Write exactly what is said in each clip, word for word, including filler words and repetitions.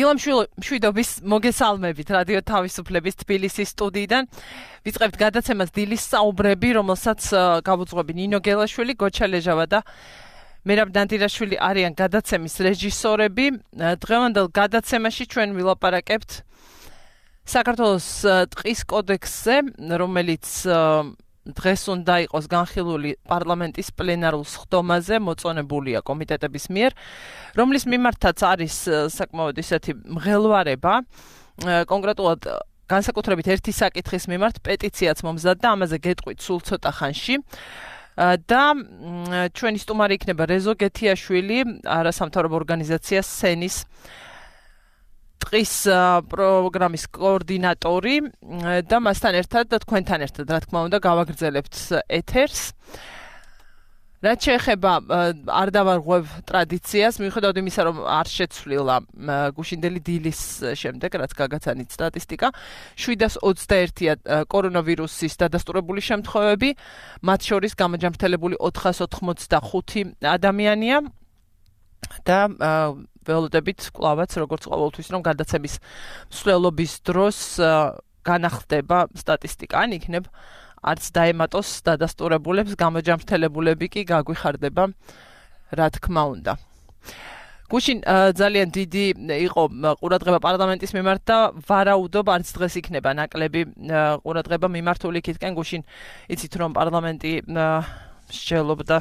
დილამ მშვიდობის მოგესალმებით რადიო თავისუფლების თბილისის სტუდიიდან. ვიწყებთ გადაცემას დილის საუბრები, რომელსაც გავუძღვები ნინო გელაშვილი, გოჩა ლეჟავა და მერაბ დანტირაშვილი არიან გადაცემის რეჟისორები. დღევანდელ გადაცემაში ჩვენ ვილაპარაკებთ საქართველოს ტყის კოდექსზე, რომელიც დღეს უნდა იყოს განხილული პარლამენტის პლენარულ სხდომაზე, მოწონებულია კომიტეტების მიერ, რომლის მიმართაც არის საკმაოდ ისეთი მღელვარება, კონკრეტულად განსაკუთრებით ერთი საკითხის მიმართ პეტიციაც მომზადდა, ამაზე გეტყვით სულ ცოტა ხანში. და ჩვენი სტუმარი იქნება რეზო გეთიაშვილი, არასამთავრობო ორგანიზაცია სენის ტყის პროგრამის კოორდინატორი და მასთან ერთად და თქვენთან ერთად, რა თქმა უნდა, გავაგრძელებთ ეთერს. რაც შეეხება არ დავარღვევ ტრადიციას, მიუხედავად იმისა, რომ არ შეცვლილა გუშინდელი დილის შემდეგ, რაც გაგაცანით სტატისტიკა, შვიდას ოცდაერთია კორონავირუსის დადასტურებული შემთხვევები, მათ შორის გამოჯანმრთელებული ოთხას ოთხმოცდახუთი ადამიანია და ველოდებით კლავაც, როგორც ყოველთვის, რომ გადაცემის მსვლელობის დროს განახლდება სტატისტიკა, ან იქნებ არც დაემატოს დადასტურებულებს, გამოჯანმრთელებულები კი გაგვიხარდება, რა თქმა უნდა. გუშინ ძალიან დიდი იყო ყურადღება პარლამენტის მიმართ და ვარაუდობ, არც დღეს იქნება ნაკლები ყურადღება მიმართული იქითკენ. გუშინ იცით, რომ პარლამენტი მსჯელობდა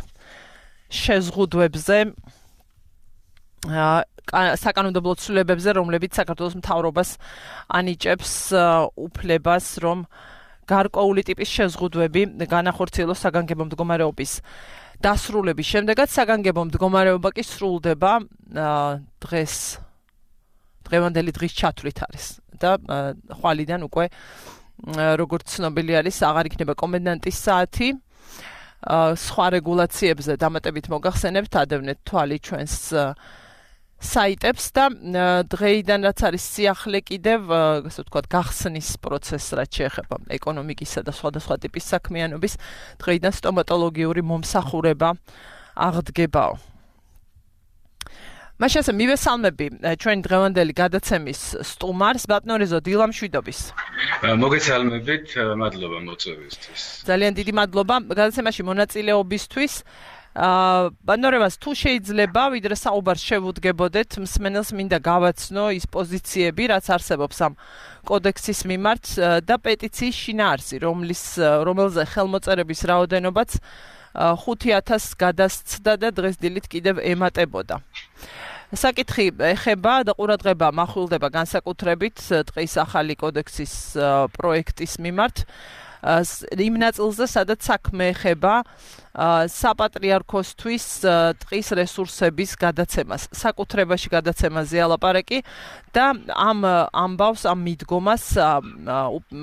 შეზღუდვებზე, საკანონმდებლო ცვლილებებზე, რომლებიც საქართველოს მთავრობას ანიჭებს უფლებას, რომ გარკვეული ტიპის შეზღუდვები განახორციელოს საგანგებო მდგომარეობის დასრულების შემდეგაც. საგანგებო მდგომარეობა კი სრულდება დღეს, დღევანდელი დღის ჩათვლით არის და ხვალიდან უკვე, როგორც ცნობილი არის, აღარ იქნება კომენდანტის საათი. სხვა რეგულაციებზე დამატებით მოგახსენებთ, ადევნეთ თვალი ჩვენს საიტებს და დღეიდან რაც არის სიახლე კიდევ, ასე ვთქვათ, გახსნის პროცესს, რაც შეეხება ეკონომიკისა და სხვადასხვა ტიპის საქმიანობის, დღეიდან სტომატოლოგიური მომსახურება აღდგებაო. მაშინ ასე მივესალმები ჩვენი დღევანდელი გადაცემის სტუმარს, ბატონო რეზო, დილამ მშვიდობის. მოგესალმებით, მადლობა მოწვევისთვის. ძალიან დიდი მადლობა გადაცემაში მონაწილეობისთვის. ბატონო რევას, თუ შეიძლება, ვიდრე საუბარს შევუდგებოდეთ, მსმენელს მინდა გავაცნო ის პოზიციები, რაც არსებობს ამ კოდექსის მიმართ და პეტიციის შინაარსი, რომლის რომელზე ხელმოწერების რაოდენობაც ხუთი ათასს გადასცდა და დღეს დილით კიდევ ემატებოდა. საკითხი ეხება და ყურადღება მახვილდება განსაკუთრებით ტყის ახალი კოდექსის პროექტის მიმართ იმ ნაწილზე, სადაც საქმე ეხება საპატრიარქოსთვის ტყის რესურსების გადაცემას, საკუთრებაში გადაცემაზეა ლაპარაკი და ამ ამბავს, ამ მიდგომას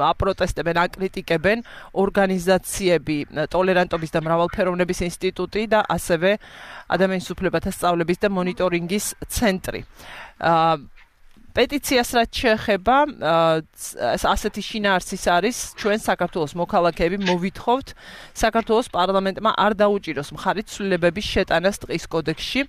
აპროტესტებენ, აკრიტიკებენ ორგანიზაციები, ტოლერანტობის და მრავალფეროვნების ინსტიტუტი და ასევე ადამიანის უფლებათა სწავლების და მონიტორინგის ცენტრი. პეტიციას რაც შეეხება, ასეთი შინაარსის არის, ჩვენ საქართველოს მოქალაქეები მოვითხოვთ საქართველოს პარლამენტმა არ დაუჭიროს მხარი ცვლილებების შეტანას ტყის კოდექსში,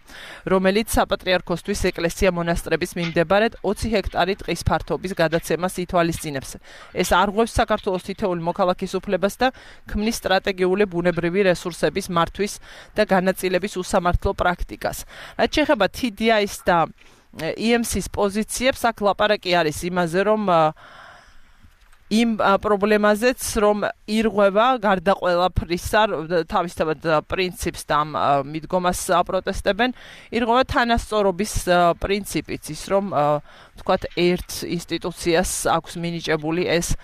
რომელიც საპატრიარქოსთვის ეკლესია მონასტრების მიმდებარედ ოცი ჰექტარი ტყის ფართობის გადაცემას ითვალისწინებს. ეს არღვევს საქართველოს თითოეული მოქალაქის უფლებას და ქმნის სტრატეგიული ბუნებრივი რესურსების მართვის და განაწილების უსამართლო პრაქტიკას. რაც შეეხება თი დი აის და ი ემ სის პოზიციებს, აქ ლაპარაკი არის იმაზე, რომ იმ პრობლემაზეც, რომ ირღვევა გარდა ყველაფრისა, თავისთავად პრინციპს და ამ მიდგომას აპროტესტებენ, ირღვევა თანასწორობის პრინციპიც, ის რომ თქვათ ერთ ინსტიტუციას აქვს მინიჭებული ეს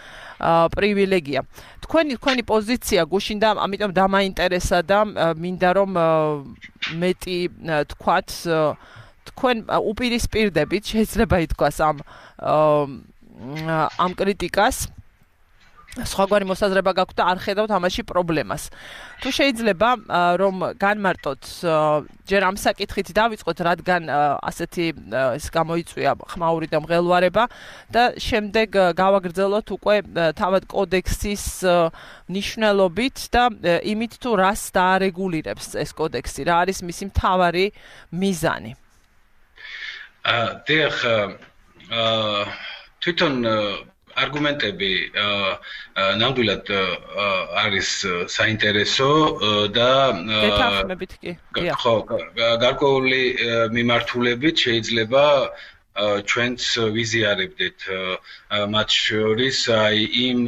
პრივილეგია. თქვენი თქვენი პოზიცია გუშინ და ამიტომ დამაინტერესა და მინდა რომ მეტი თქვათ თქვენ უპირისპირდებით, შეიძლება ითქვას ამ ამ კრიტიკას, სხვაგვარი მოსაზრება გაქვთ და არ ხედავთ ამაში პრობლემას. თუ შეიძლება რომ განმარტოთ, ჯერ ამ საკითხით დავიწყოთ, რადგან ასეთი ეს გამოიწვია ხმაური და მღელვარება და შემდეგ გავაგრძელოთ უკვე თავად კოდექსის მნიშვნელობით და იმით თუ რას დაარეგულირებს ეს კოდექსი, რა არის მისი მთავარი მიზანი. დიახ, აა თვითონ არგუმენტები ნამდვილად არის საინტერესო და დეთანხმებით კი. ხო, გარკვეული მიმართულებით შეიძლება ჩვენც ვიზიარებდეთ მათ შორის აი იმ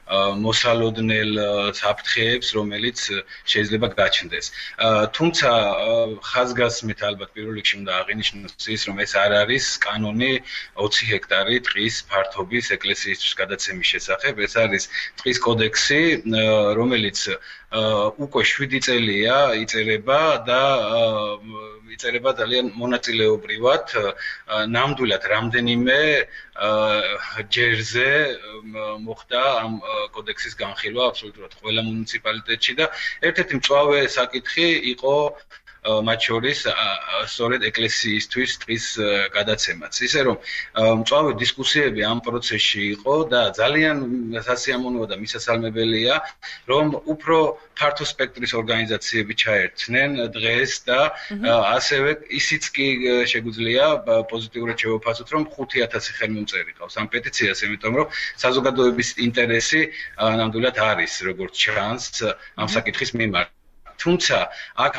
მოსალოდნელ საფრთხეებს, რომელიც შეიძლება გაჩნდეს. თუმცა ხაზგასმით ალბათ პირველ რიგში უნდა აღინიშნოს ის, რომ ეს არ არის კანონი ოცი ჰექტარი ტყის ფართობის ეკლესიისთვის გადაცემის შესახებ. ეს არის ტყის კოდექსი, რომელიც უკვე შვიდი წელია იწერება და იწერება ძალიან მონაწილეობრივად. ნამდვილად რამდენიმე ჯერზე მოხდა ამ კოდექსის განხილვა აბსოლუტურად ყველა მუნიციპალიტეტში და ერთ-ერთი მწვავე საკითხი იყო მათ შორის სწორედ ეკლესიისთვის ტყის გადაცემაც. ისე რომ მწვავე დისკუსიები ამ პროცესში იყო და ძალიან სასიამოვნოა და მისასალმებელია, რომ უფრო ფართო სპექტრის ორგანიზაციები ჩაერთნენ დღეს და ასევე ისიც კი შეგვიძლია პოზიტიურად შევაფასოთ, რომ ხუთი ათასი ხელმომწერი ყავს ამ პეტიციას, იმიტომ რომ საზოგადოების ინტერესი ნამდვილად არის, როგორც ჩანს ამ საკითხის მიმართ. თუმცა აქ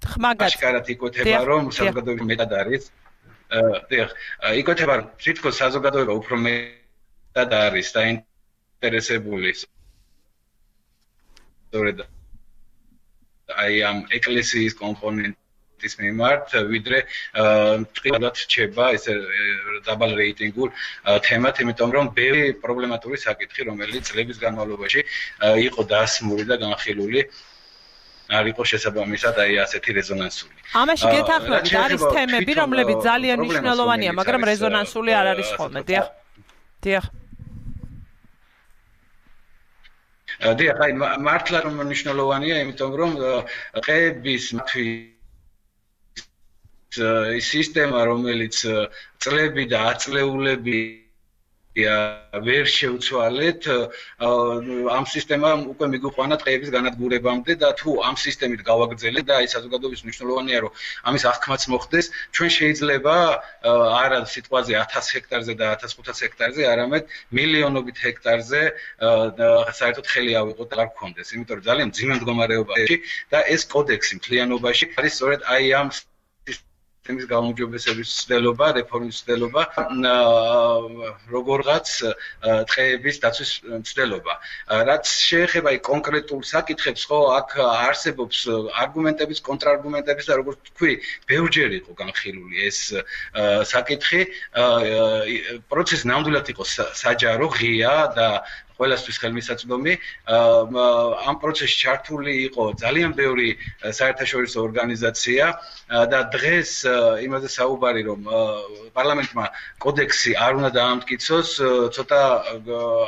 ხმაგად იკვეთება, რომ საზოგადოება მეტად არის. დიახ, იკვეთება, რომ თითქოს საზოგადოება უფრო მეტად არის დაინტერესებული სწორედ აი ამ ეკლესიის კომპონენტის მიმართ, ვიდრე ტყილად რჩება ეს დაბალ რეიტინგულ თემად, იმიტომ რომ ბევრი პრობლემატური საკითხი, რომელიც წლების განმავლობაში იყო დასმული და განხილული არ იყო შესაბამისად აი ასეთი რეზონანსული. ამაში გეთანხმებით, არის თემები, რომლებიც ძალიან მნიშვნელოვანია, მაგრამ რეზონანსული არ არის ხოლმე, დიახ. დიახ. დიახ, აი მართლა რომ მნიშვნელოვანია, იმიტომ რომ ყეების მათთვის სისტემა, რომელიც წლები და აწლეულები ვერ შევცვალეთ, ამ სისტემამ უკვე მიგვიყვანა ტყეების განადგურებამდე და თუ ამ სისტემით გავაგრძელეთ და აი საზოგადოების მნიშვნელოვანია, რომ ამის აღქმაც მოხდეს, ჩვენ შეიძლება არა სიტყვაზე ათას ჰექტარზე და ათას ხუთას ჰექტარზე, არამედ მილიონობით ჰექტარზე საერთოდ ხელი ავიღოთ და არ გქონდეს, იმიტომ რომ ძალიან მძიმე მდგომარეობაში და ეს კოდექსი მთლიანობაში არის სწორედ აი ამ სისტემის გაუმჯობესების ცდელობა, რეფორმის ცდელობა, როგორღაც ტყეების დაცვის ცდელობა. რაც შეეხება კონკრეტულ საკითხებს, ხო, აქ არსებობს არგუმენტების, კონტრარგუმენტების და როგორც თქვი, ბევრჯერ იყო განხილული ეს საკითხი. პროცესი ნამდვილად იყო საჯარო, ღია და ყველასთვის ხელმისაწვდომი. ამ პროცესში ჩართული იყო ძალიან ბევრი საერთაშორისო ორგანიზაცია და დღეს იმაზე საუბარი, რომ პარლამენტმა კოდექსი არ უნდა დაამტკიცოს, ცოტა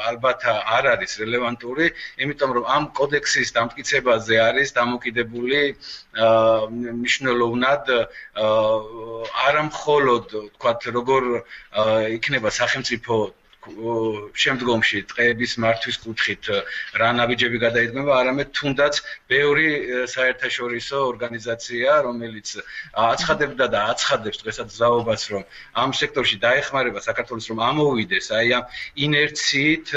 ალბათ არ არის რელევანტური, იმიტომ რომ ამ კოდექსის დამტკიცებაზე არის დამოკიდებული მნიშვნელოვნად არა მხოლოდ, თქვათ, როგორ იქნება სახელმწიფო შემდგომში ტყეების მართვის კუთხით რა ნაბიჯები გადაიდგება, არამედ თუნდაც ბევრი საერთაშორისო ორგანიზაცია, რომელიც აცხადებდა და აცხადებს დღესაც ზაობას, რომ ამ სექტორში დაეხმარება საქართველოს, რომ ამოვიდეს აი ამ ინერციით,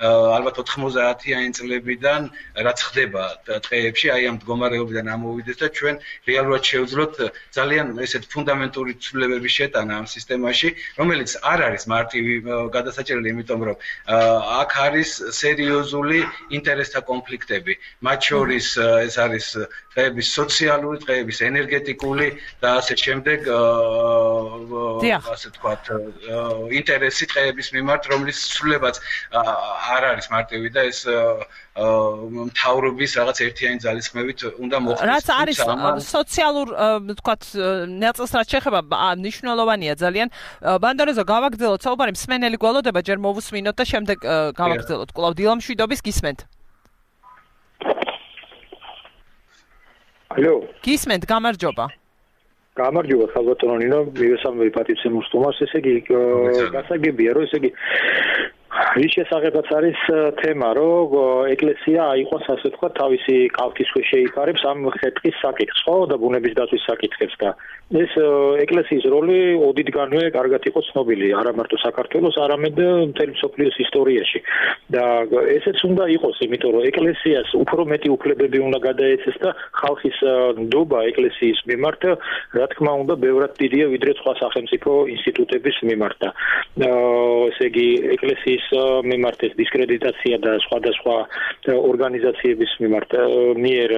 ალბათ ოთხმოცდაათიანი წლებიდან რაც ხდება ტყეებში, აი ამ მდგომარეობიდან ამოვიდეს და ჩვენ რეალურად შევძლოთ ძალიან ესეთ ფუნდამენტური ცვლილებების შეტანა ამ სისტემაში, რომელიც არ არის მარტივი გადასაჭერელი, იმიტომ რომ აქ არის სერიოზული ინტერესთა კონფლიქტები. მათ შორის ეს არის ტყეების სოციალური, ტყეების ენერგეტიკული და ასე შემდეგ ასე თქვათ ინტერესი ტყეების მიმართ, რომლის ცვლილებაც არ არის მარტივი და ეს მთავრობის რაღაც ერთიანი ძალისხმევით უნდა მოხდეს. რაც არის სოციალურ თქვათ ნაწილს რაც შეეხება მნიშვნელოვანია ძალიან. ბანდორეზო გავაგრძელოთ საუბარი, მსმენელი გველოდება, ჯერ მოვუსმინოთ და შემდეგ გავაგრძელოთ. კვლავ დილამშვიდობის გისმენთ. ალო. გისმენთ, გამარჯობა. გამარჯობა ხალბატონო ნინო, მივესალმები პატიცემ უსტუმარს, ესე იგი გასაგებია, რომ ესე იგი რის შესახებაც არის თემა, რომ ეკლესია აიყვანს ასე თქვა თავისი კალთის ქვეშ შეიფარებს ამ ხეთქის საკითხს, ხო, და ბუნების დაცვის საკითხებს და ეს ეკლესიის როლი ოდითგანვე კარგად იყო ცნობილი, არა მარტო საქართველოს, არამედ მთელი მსოფლიოს ისტორიაში. და ესეც უნდა იყოს, იმიტომ რომ ეკლესიას უფრო მეტი უფლებები უნდა გადაეცეს და ხალხის ნდობა ეკლესიის მიმართ, რა თქმა უნდა, ბევრად დიდია ვიდრე სხვა სახელმწიფო ინსტიტუტების მიმართ. ესე იგი, ეკლესიის მიმართ ეს დისკრედიტაცია და სხვადასხვა ორგანიზაციების მიმართ მიერ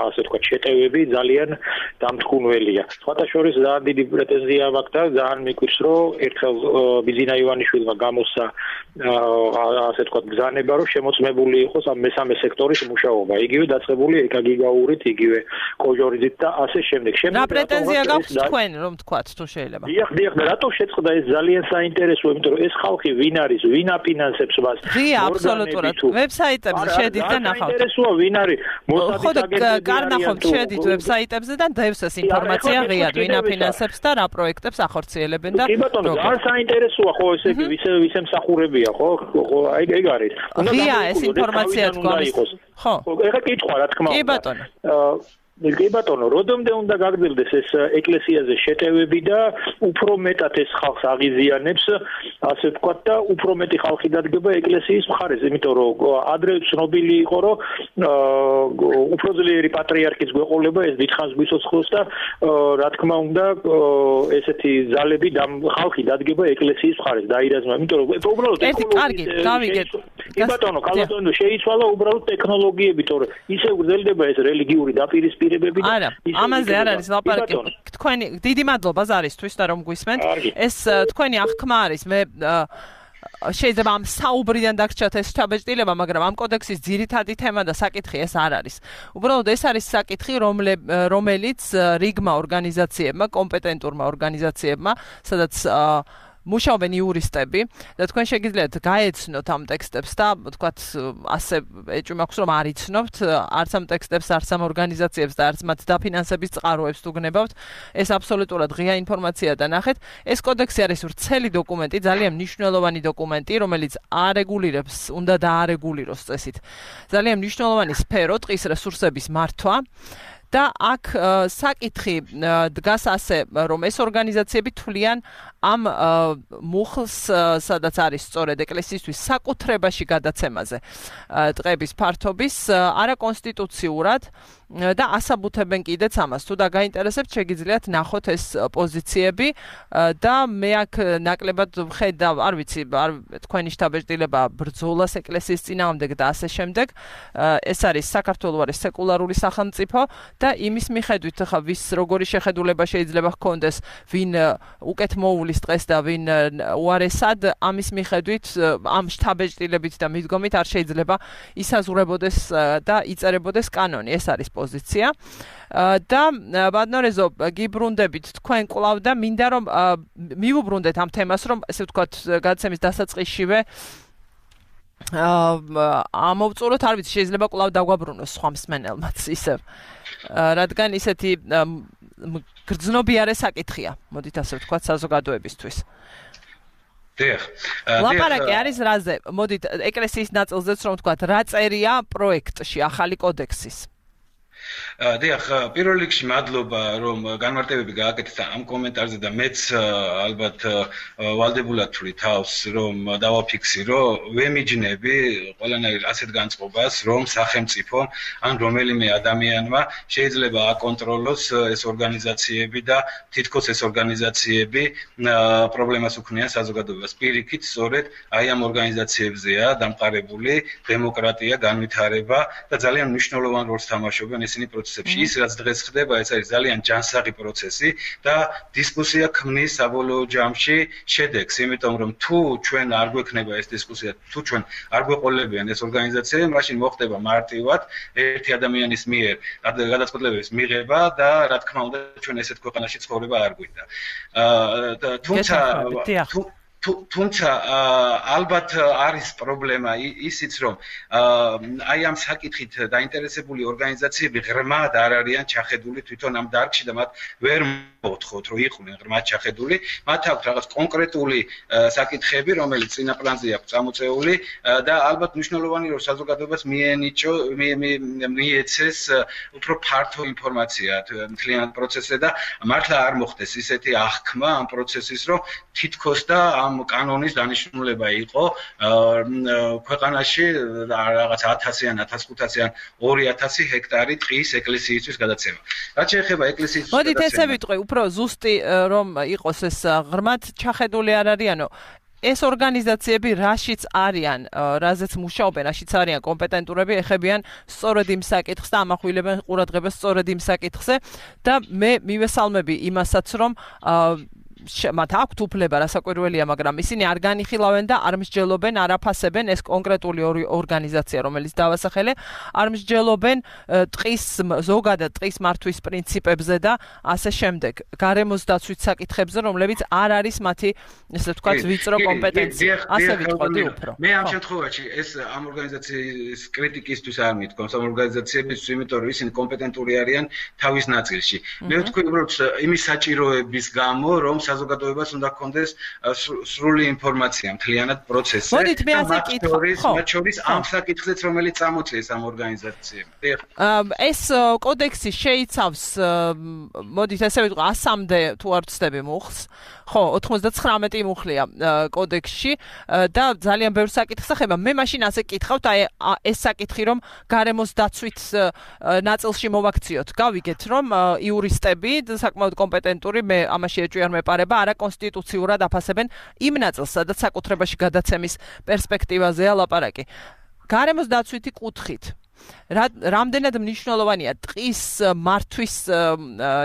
ასე თქვა შეტევები ძალიან დამთქმულია. სხვათა შორის ძალიან დიდი პრეტენზია მაქვს და ძალიან მიკვირს, რომ ერთხელ ბიზინა ივანიშვილმა გამოსცა ასე თქვა ბრძანება, რომ შემოწმებული იყოს ამ მესამე სექტორის მუშაობა. იგივე დაწყებული ეკაგიგაურით, იგივე კოჟორიძით და ასე შემდეგ. რა პრეტენზია გაქვთ თქვენ, რომ თქვათ თუ შეიძლება? დიახ, დიახ, და რატო შეწყდა ეს ძალიან საინტერესოა, იმიტომ რომ ეს ხალხი ვინ არის, ვინ აფინანსებს მას? ღია, აბსოლუტურად. ვებსაიტებზე შედით და ნახავთ. საინტერესოა ვინ არის? ხო, კარნახობთ შედით ვებსაიტებზე და დევს ეს ინფორმაცია ღიად, ვინ აფინანსებს და რა პროექტებს ახორციელებენ და კი ბატონო, ძალიან საინტერესოა ხო ესე იგი, ვისე ვისე მსახურებია, ხო? ხო, აი ეგ არის. ღია ეს ინფორმაცია თქვენ. ხო. ეხლა კითხვა რა თქმა უნდა. კი ბატონო. კი ბატონო, როდომდე უნდა გაგრძელდეს ეს ეკლესიაზე შეტევები და უფრო მეტად ეს ხალხს აღიზიანებს, ასე ვთქვათ და უფრო მეტი ხალხი დადგება ეკლესიის მხარეს, იმიტომ რომ ადრე ცნობილი იყო, რომ უფრო ძლიერი პატრიარქის გვეყოლება ეს დიდხანს გვიცოცხლოს და რა თქმა უნდა ესეთი ძალები ხალხი დადგება ეკლესიის მხარეს დაირაზმა, იმიტომ რომ უბრალოდ ერთი კარგი, გავიგეთ. კი ბატონო, კალათონო შეიცვალა უბრალოდ ტექნოლოგიები, თორე ისე გრძელდება ეს რელიგიური დაპირისპირება არა, ამაზე არ არის ლაპარაკი. თქვენი დიდი მადლობა ზარისთვის და რომ გვისმენთ. ეს თქვენი აღქმა არის. მე შეიძლება ამ საუბრიდან დაგრჩათ ეს შთაბეჭდილება, მაგრამ ამ კოდექსის ძირითადი თემა და საკითხი ეს არ არის. უბრალოდ ეს არის საკითხი, რომელიც რიგმა ორგანიზაციებმა, კომპეტენტურმა ორგანიზაციებმა, სადაც მუშაობენ იურისტები და თქვენ შეგიძლიათ გაეცნოთ ამ ტექსტებს და თქვათ ასე ეჭვი მაქვს რომ არ იცნობთ არც ამ ტექსტებს, არც ამ ორგანიზაციებს და არც მათ დაფინანსების წყაროებს თუ გნებავთ. ეს აბსოლუტურად ღია ინფორმაცია და ნახეთ. ეს კოდექსი არის ვრცელი დოკუმენტი, ძალიან მნიშვნელოვანი დოკუმენტი, რომელიც არეგულირებს, უნდა დაარეგულიროს წესით. ძალიან მნიშვნელოვანი სფერო ტყის რესურსების მართვა. და აქ საკითხი დგას ასე, რომ ეს ორგანიზაციები თვლიან ამ მუხლს, სადაც არის სწორედ ეკლესიისთვის საკუთრებაში გადაცემაზე ტყების ფართობის, არაკონსტიტუციურად და ასაბუთებენ კიდეც ამას. თუ დაგაინტერესებთ, შეგიძლიათ ნახოთ ეს პოზიციები და მე აქ ნაკლებად ვხედავ, არ ვიცი, არ თქვენი შთაბეჭდილება ბრძოლას ეკლესიის წინააღმდეგ და ასე შემდეგ. ეს არის საქართველოს არის სეკულარული სახელმწიფო და იმის მიხედვით ხა ვის როგორი შეხედულება შეიძლება ჰქონდეს, ვინ უკეთ მოუვლის დღეს და ვინ უარესად, ამის მიხედვით ამ შთაბეჭდილებით და მიდგომით არ შეიძლება ისაზღვრებოდეს და იწერებოდეს კანონი. ეს არის პოზიცია. და ბატონო გიბრუნდებით თქვენ კვლავ და მინდა რომ მივუბრუნდეთ ამ თემას, რომ ესე ვთქვათ გადაცემის დასაწყისშივე ამოვწუროთ, არ ვიცი, შეიძლება კვლავ დაგვაბრუნოს სხვა მსმენელმაც ისევ. რადგან ისეთი გრძნობიარე საკითხია, მოდით ასე ვთქვათ, საზოგადოებისთვის. დიახ. ლაპარაკი არის რაზე? მოდით ეკლესიის ნაწილზეც რომ ვთქვათ, რა წერია პროექტში ახალი კოდექსის? დიახ, პირველ რიგში მადლობა, რომ განმარტებები გააკეთეთ ამ კომენტარზე და მეც ალბათ ვალდებულად ვთვლი თავს, რომ დავაფიქსირო, ვემიჯნები ყველანაირ ასეთ განწყობას, რომ სახელმწიფო ან რომელიმე ადამიანმა შეიძლება აკონტროლოს ეს ორგანიზაციები და თითქოს ეს ორგანიზაციები პრობლემას უქმნიან საზოგადოებას. პირიქით, სწორედ აი ამ ორგანიზაციებზეა დამყარებული დემოკრატია, განვითარება და ძალიან მნიშვნელოვან როლს თამაშობენ ისინი პროცესებში. ის რაც დღეს ხდება, ეს არის ძალიან ჯანსაღი პროცესი და დისკუსია ქმნის საბოლოო ჯამში შედეგს, იმიტომ რომ თუ ჩვენ არ გვექნება ეს დისკუსია, თუ ჩვენ არ გვეყოლებიან ეს ორგანიზაციები, მაშინ მოხდება მარტივად ერთი ადამიანის მიერ გადაწყვეტილებების მიღება და რა თქმა უნდა ჩვენ ესეთ ქვეყანაში ცხოვრება არ გვინდა. თუმცა თუმცა ალბათ არის პრობლემა ისიც, რომ აი ამ საკითხით დაინტერესებული ორგანიზაციები ღრმად არ არიან ჩახედული თვითონ ამ დარგში და მათ ვერ მოთხოვთ, რომ იყვნენ ღრმად ჩახედული, მათ აქვს რაღაც კონკრეტული საკითხები, რომელიც წინა პლანზე აქვს წამოწეული და ალბათ მნიშვნელოვანი რომ საზოგადოებას მიენიჭო, მიეცეს უფრო ფართო ინფორმაცია მთლიან პროცესზე და მართლა არ მოხდეს ისეთი აღქმა ამ პროცესის, რომ თითქოს და ამ კანონის დანიშნულება იყო ქვეყანაში რაღაც ათასი ან ათას ხუთასი ან ორი ათასი ჰექტარი ტყის ეკლესიისთვის გადაცემა. რაც შეეხება ეკლესიის მოდით ესე ვიტყვი, უფრო ზუსტი რომ იყოს ეს ღრმად ჩახედული არ არიანო ეს ორგანიზაციები რაშიც არიან, რაზეც მუშაობენ, რაშიც არიან კომპეტენტურები, ეხებიან სწორედ იმ საკითხს და ამახვილებენ ყურადღებას სწორედ იმ საკითხზე და მე მივესალმები იმასაც, რომ მათ აქვთ უფლება, რასაკვირველია, მაგრამ ისინი არ განიხილავენ და არ მსჯელობენ, არ აფასებენ ეს კონკრეტული ორგანიზაცია, რომელიც დავასახელე, არ მსჯელობენ ტყის ზოგადად ტყის მართვის პრინციპებზე და ასე შემდეგ. გარემოს დაცვის საკითხებზე, რომლებიც არ არის მათი, ესე ვთქვათ, ვიწრო კომპეტენცია. ასე ვიტყოდი უფრო. მე ამ შემთხვევაში ეს ამ ორგანიზაციის კრიტიკისთვის არ მithქვამს, ამ ორგანიზაციებისთვის, იმიტომ რომ ისინი კომპეტენტური არიან თავის ნაწილში. მე ვთქვი, უბრალოდ იმის საჭიროების გამო, რომ საზოგადოებას უნდა ჰქონდეს სრული ინფორმაცია მთლიანად პროცესზე. მოდით მე ასე კითხავ. მათ შორის ამ საკითხზეც, რომელიც წამოწიეს ამ ორგანიზაციებმა. ეს კოდექსი შეიცავს, მოდით ესე ვიტყვი, ასამდე თუ არ ვცდები მუხლს. ხო, ოთხმოცდათხრამეტი მუხლია კოდექსში და ძალიან ბევრ საკითხს ეხება. მე მაშინ ასე კითხავთ, აი ეს საკითხი, რომ გარემოს დაცვით ნაწილში მოვაქციოთ. გავიგეთ, რომ იურისტები საკმაოდ კომპეტენტური, მე ამაში ეჭვი არ მეპარება, არაკონსტიტუციურად აფასებენ იმ ნაწილს, სადაც საკუთრებაში გადაცემის პერსპექტივაზეა ლაპარაკი. გარემოს დაცვითი კუთხით რამდენად მნიშვნელოვანია ტყის მართვის,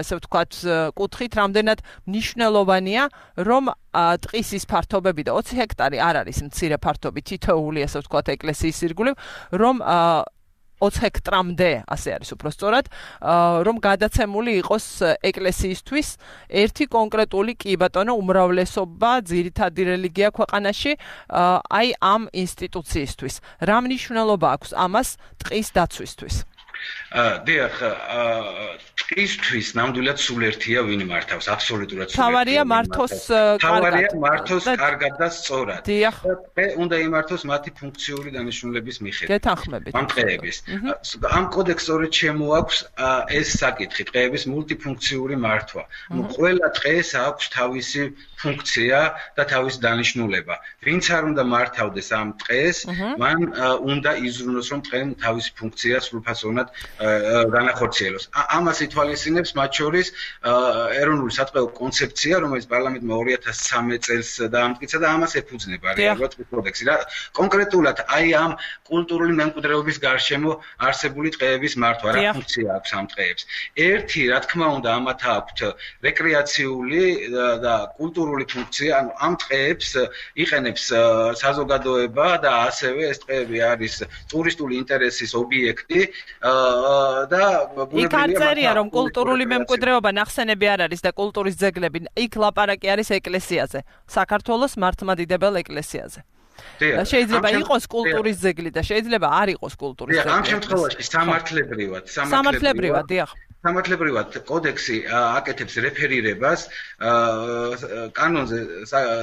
ესე ვთქვათ, კუთხით, რამდენად მნიშვნელოვანია, რომ ტყის ის ფართობები და ოცი ჰექტარი არ არის მცირე ფართობი, თითოეული, ესე ვთქვათ, ეკლესიის ირგვლივ, რომ ოცი ჰექტრამდე, ასე არის უფრო სწორად, რომ გადაცემული იყოს ეკლესიისთვის ერთი კონკრეტული კი ბატონო უმრავლესობა, ძირითადი რელიგია ქვეყანაში, აი ამ ინსტიტუციისთვის. რა მნიშვნელობა აქვს ამას ტყის დაცვისთვის? დიახ, ტყისთვის ნამდვილად სულ ერთია ვინ მართავს, აბსოლუტურად სულ ერთია. თავარია მართოს კარგად. თავარია მართოს კარგად და სწორად. დიახ. ტყე უნდა იმართოს მათი ფუნქციური დანიშნულების მიხედვით. გეთანხმებით. ამ ტყეების. ამ კოდექსს სწორედ შემოაქვს ეს საკითხი, ტყეების მულტიფუნქციური მართვა. ყველა ტყეს აქვს თავისი ფუნქცია და თავისი დანიშნულება. ვინც არ უნდა მართავდეს ამ ტყეს, მან უნდა იზრუნოს, რომ ტყემ თავისი ფუნქცია სრულფასოვნად განახორციელოს. ამას ითვალისწინებს მათ შორის ეროვნული სატყეო კონცეფცია, რომელიც პარლამენტმა ორი ათას სამი წელს დაამტკიცა და ამას ეფუძნება რეალურად კოდექსი. კონკრეტულად აი ამ კულტურული მემკვიდრეობის გარშემო არსებული ტყეების მართვა, რა ფუნქცია აქვს ამ ტყეებს. ერთი, რა თქმა უნდა, ამათ აქვთ რეკრეაციული და კულტურული ფუნქცია, ანუ ამ ტყეებს იყენებს საზოგადოება და ასევე ეს ტყეები არის ტურისტული ინტერესის ობიექტი. და იქ არ წერია, რომ კულტურული მემკვიდრეობა ნახსენები არ არის და კულტურის ძეგლები, იქ ლაპარაკი არის ეკლესიაზე, საქართველოს მართლმადიდებელ ეკლესიაზე. და შეიძლება იყოს კულტურის ძეგლი და შეიძლება არ იყოს კულტურის ძეგლი. ამ შემთხვევაში სამართლებრივად, სამართლებრივად, დიახ. სამართლებრივად კოდექსი აკეთებს რეფერირებას კანონზე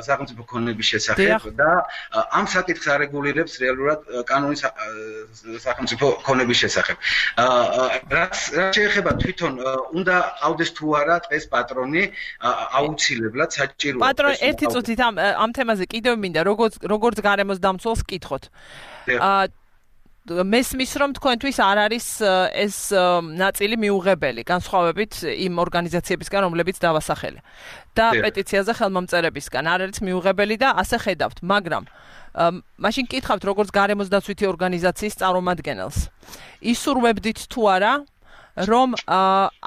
სახელმწიფო ქონების შესახებ და ამ საკითხს არეგულირებს რეალურად კანონი სახელმწიფო ქონების შესახებ. რაც შეეხება თვითონ უნდა ყავდეს თუ არა ტყეს პატრონი, აუცილებლად საჭიროა. პატრონი, ერთი წუთით ამ ამ თემაზე კიდევ მინდა როგორც როგორც გარემოს დამცველს კითხოთ. მესმის რომ თქვენთვის არ არის ეს ნაწილი მიუღებელი, განსხვავებით იმ ორგანიზაციებისგან, რომლებიც დავასახელე. და პეტიციაზე ხელმომწერებისგან არ არის მიუღებელი და ასე ხედავთ, მაგრამ მაშინ კითხავთ როგორც გარემოს დაცვითი ორგანიზაციის წარმომადგენელს. ისურვებდით თუ არა, რომ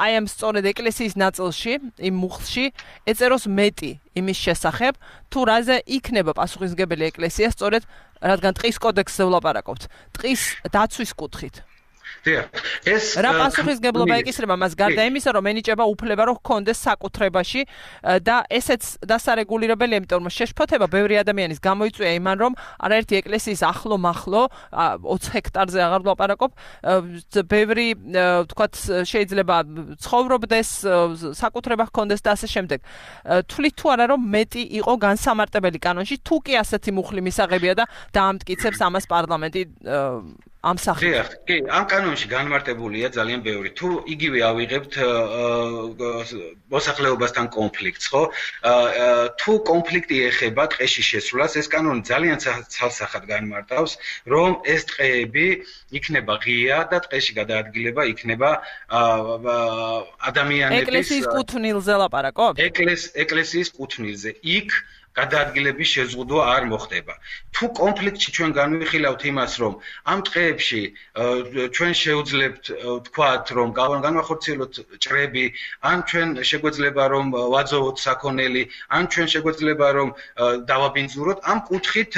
აი ამ სწორედ ეკლესიის ნაწილში, იმ მუხლში ეწეროს მეტი იმის შესახებ, თუ რაზე იქნება პასუხისმგებელი ეკლესია სწორედ რადგან ტყის კოდექსზე ვლაპარაკობთ, ტყის დაცვის კუთხით. ეს რა პასუხისგებლობა ეკისრება მას გარდა იმისა, რომ ენიჭება უფლება, რომ ჰქონდეს საკუთრებაში და ესეც დასარეგულირებელია, იმიტომ რომ შეშფოთება ბევრი ადამიანის გამოიწვია იმან, რომ არაერთი ეკლესიის ახლო მახლო ოცი ჰექტარზე აღარ ვლაპარაკობ, ბევრი თქვათ შეიძლება ცხოვრობდეს, საკუთრება ჰქონდეს და ასე შემდეგ. თვლით თუ არა, რომ მეტი იყო განსამარტებელი კანონში, თუ კი ასეთი მუხლი მისაღებია და დაამტკიცებს ამას პარლამენტი ამ სახით. კი, ამ კანონში განმარტებულია ძალიან ბევრი. თუ იგივე ავიღებთ მოსახლეობასთან კონფლიქტს, ხო? თუ კონფლიქტი ეხება ტყეში შესვლას, ეს კანონი ძალიან ცალსახად განმარტავს, რომ ეს ტყეები იქნება ღია და ტყეში გადაადგილება იქნება ადამიანების ეკლესიის კუთვნილზე ლაპარაკობ? ეკლესიის კუთვნილზე. იქ გადაადგილების შეზღუდვა არ მოხდება. თუ კონფლიქტში ჩვენ განვიხილავთ იმას, რომ ამ ტყეებში ჩვენ შეუძლებთ თქვათ, რომ განვახორციელოთ ჭრები, ან ჩვენ შეგვეძლება რომ ვაძოვოთ საქონელი, ან ჩვენ შეგვეძლება რომ დავაბინძუროთ, ამ კუთხით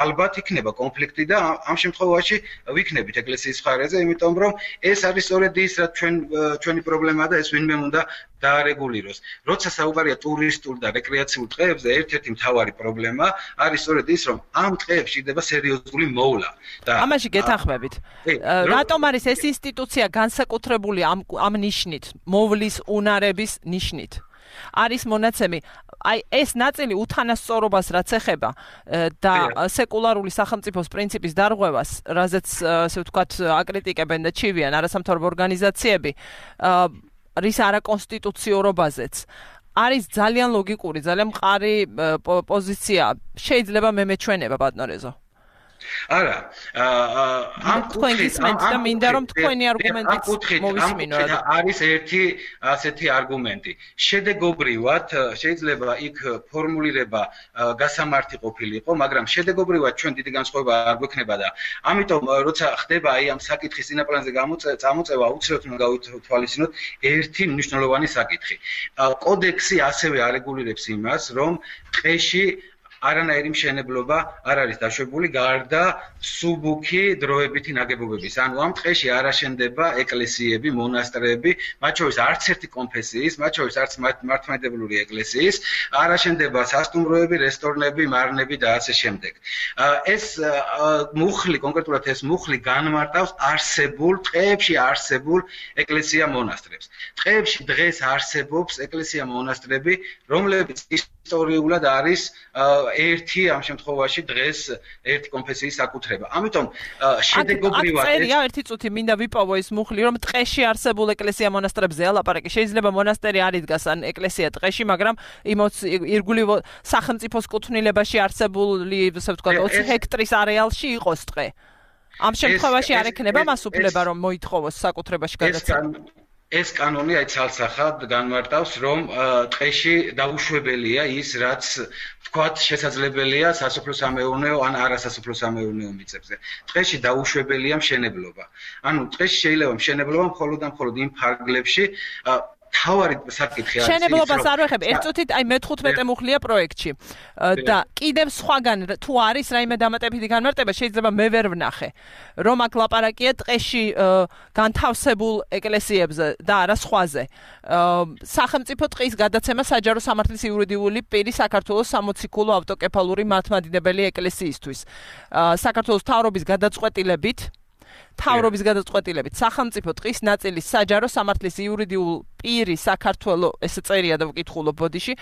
ალბათ იქნება კონფლიქტი და ამ შემთხვევაში ვიქნებით ეკლესიის მხარეზე, იმიტომ რომ ეს არის სწორედ ის, რაც ჩვენ ჩვენი პრობლემაა და ეს ვინმე უნდა დაარეგულიროს. როცა საუბარია ტურისტულ და რეკრეაციულ ტყეებზე, ერთ-ერთი მთავარი პრობლემა არის სწორედ ის, რომ ამ ტყეებში ხდება სერიოზული მოვლა. და ამაში გეთანხმებით. რატომ არის ეს ინსტიტუცია განსაკუთრებული ამ ამ ნიშნით, მოვლის უნარების ნიშნით? არის მონაცემი, აი ეს ნაწილი უთანასწორობას რაც ეხება და სეკულარული სახელმწიფოს პრინციპის დარღვევას, რაზეც ასე ვთქვათ აკრიტიკებენ და ჩივიან არასამთავრობო ორგანიზაციები, რის არაკონსტიტუციურობაზეც არის ძალიან ლოგიკური, ძალიან მყარი პოზიცია. შეიძლება მე მეჩვენება ბატონო არა, ამ კუთხით და მინდა რომ თქვენი არგუმენტიც მოვისმინოთ. არის ერთი ასეთი არგუმენტი. შედეგობრივად შეიძლება იქ ფორმულირება გასამართი ყოფილიყო, მაგრამ შედეგობრივად ჩვენ დიდი განსხვავება არ გვექნება და ამიტომ როცა ხდება აი ამ საკითხის წინაპლანზე წამოწევა, უცებ უნდა გავითვალისწინოთ ერთი მნიშვნელოვანი საკითხი. კოდექსი ასევე არეგულირებს იმას, რომ ტყეში არანაირი მშენებლობა არ არის დაშვებული გარდა სუბუქი დროებითი ნაგებობების. ანუ ამ ტყეში არ აშენდება ეკლესიები, მონასტრები, მათ შორის არც ერთი კონფესიის, მათ შორის არც მართლმადიდებლური ეკლესიის, არ აშენდება სასტუმროები, რესტორნები, მარნები და ასე შემდეგ. ეს მუხლი, კონკრეტულად ეს მუხლი განმარტავს არსებულ ტყეებში არსებულ ეკლესია-მონასტრებს. ტყეებში დღეს არსებობს ეკლესია-მონასტრები, რომლებიც ისტორიულად არის ერთი ამ შემთხვევაში დღეს ერთი კონფესიის საკუთრება. ამიტომ შედეგობრივად წერია ერთი წუთი მინდა ვიპოვო ის მუხლი, რომ ტყეში არსებულ ეკლესია-მონასტრებზე ალაპარაკი. შეიძლება მონასტერი არ იდგას ან ეკლესია ტყეში, მაგრამ ირგვლივ სახელმწიფოს კუთვნილებაში არსებული, ასე ვთქვათ, ოცი ჰექტრის არეალში იყოს ტყე. ამ შემთხვევაში არ ექნება მას უფლება, რომ მოითხოვოს საკუთრებაში გადაცემა. ეს კანონი აი ცალსახად განმარტავს, რომ ტყეში დაუშვებელია ის, რაც თქვათ შესაძლებელია სასოფლო-სამეურნეო ან არასასოფლო-სამეურნეო მიწებზე. ტყეში დაუშვებელია მშენებლობა. ანუ ტყეში შეიძლება მშენებლობა მხოლოდ და მხოლოდ იმ ფარგლებში თავარი საკითხი არის. მშენებლობას არ ვეხებ, ერთ წუთით აი მეთხუთმეტე მუხლია პროექტში. და კიდევ სხვაგან თუ არის რაიმე დამატებითი განმარტება, შეიძლება მე ვერ ვნახე. რომ აქ ლაპარაკია ტყეში განთავსებულ ეკლესიებზე და არა სხვაზე. სახელმწიფო ტყის გადაცემა საჯარო სამართლის იურიდიული პირი საქართველოს სამოციქულო ავტოკეფალური მართლმადიდებელი ეკლესიისთვის. საქართველოს მთავრობის გადაწყვეტილებით თავრობის გადაწყვეტილებით სახელმწიფო ტყის ნაწილის საჯარო სამართლის იურიდიულ პირი საქართველოს ეს წერია და ვკითხულობ ბოდიში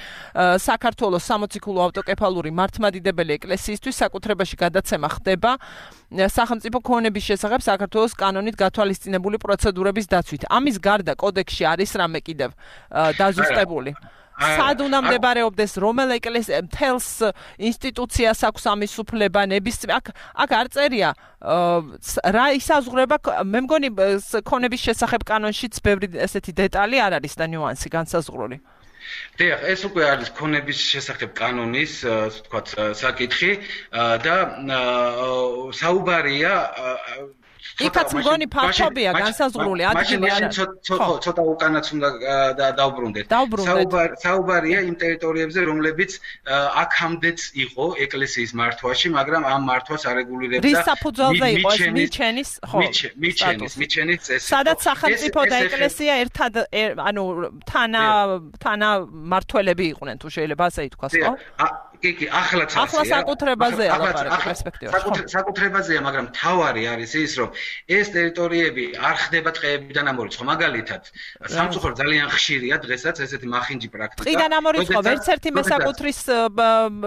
საქართველოს სამოციქულო ავტოკეფალური მართლმადიდებელი ეკლესიისთვის საკუთრებაში გადაცემა ხდება სახელმწიფო ქონების შესახებ საქართველოს კანონით გათვალისწინებული პროცედურების დაცვით. ამის გარდა კოდექსში არის რამე კიდევ დაზუსტებული. სად უნდა მდებარეობდეს რომელ ეკლესია მთელს ინსტიტუციას აქვს ამის უფლება ნებისმიერ აქ აქ არ წერია რა ისაზღვრება მე მგონი ქონების შესახებ კანონშიც ბევრი ესეთი დეტალი არ არის და ნიუანსი განსაზღვრული. დიახ, ეს უკვე არის ქონების შესახებ კანონის, თქვათ, საკითხი და საუბარია იქაც მგონი ფაქტობია განსაზღვრული ადგილი არა. ცოტა უკანაც უნდა დავბრუნდეთ. საუბარია იმ ტერიტორიებზე, რომლებიც აქამდეც იყო ეკლესიის მართვაში, მაგრამ ამ მართვას არეგულირებდა. რის საფუძველზე იყო ეს მიჩენის, ხო? მიჩენის, მიჩენის წესი. სადაც სახელმწიფო და ეკლესია ერთად, ანუ თანა თანა მართველები იყვნენ, თუ შეიძლება ასე ითქვას, ხო? კი, კი, ახლაც ასე. ახლა საკუთრებაზეა ლაპარაკი პერსპექტივაში. საკუთრებაზეა, მაგრამ თავარი არის ის, რომ ეს ტერიტორიები არ ხდება ტყეებიდან ამორიცხო. მაგალითად, სამწუხაროდ ძალიან ხშირია დღესაც ესეთი მახინჯი პრაქტიკა. ტყიდან ამორიცხო, ვერც ერთი მესაკუთრის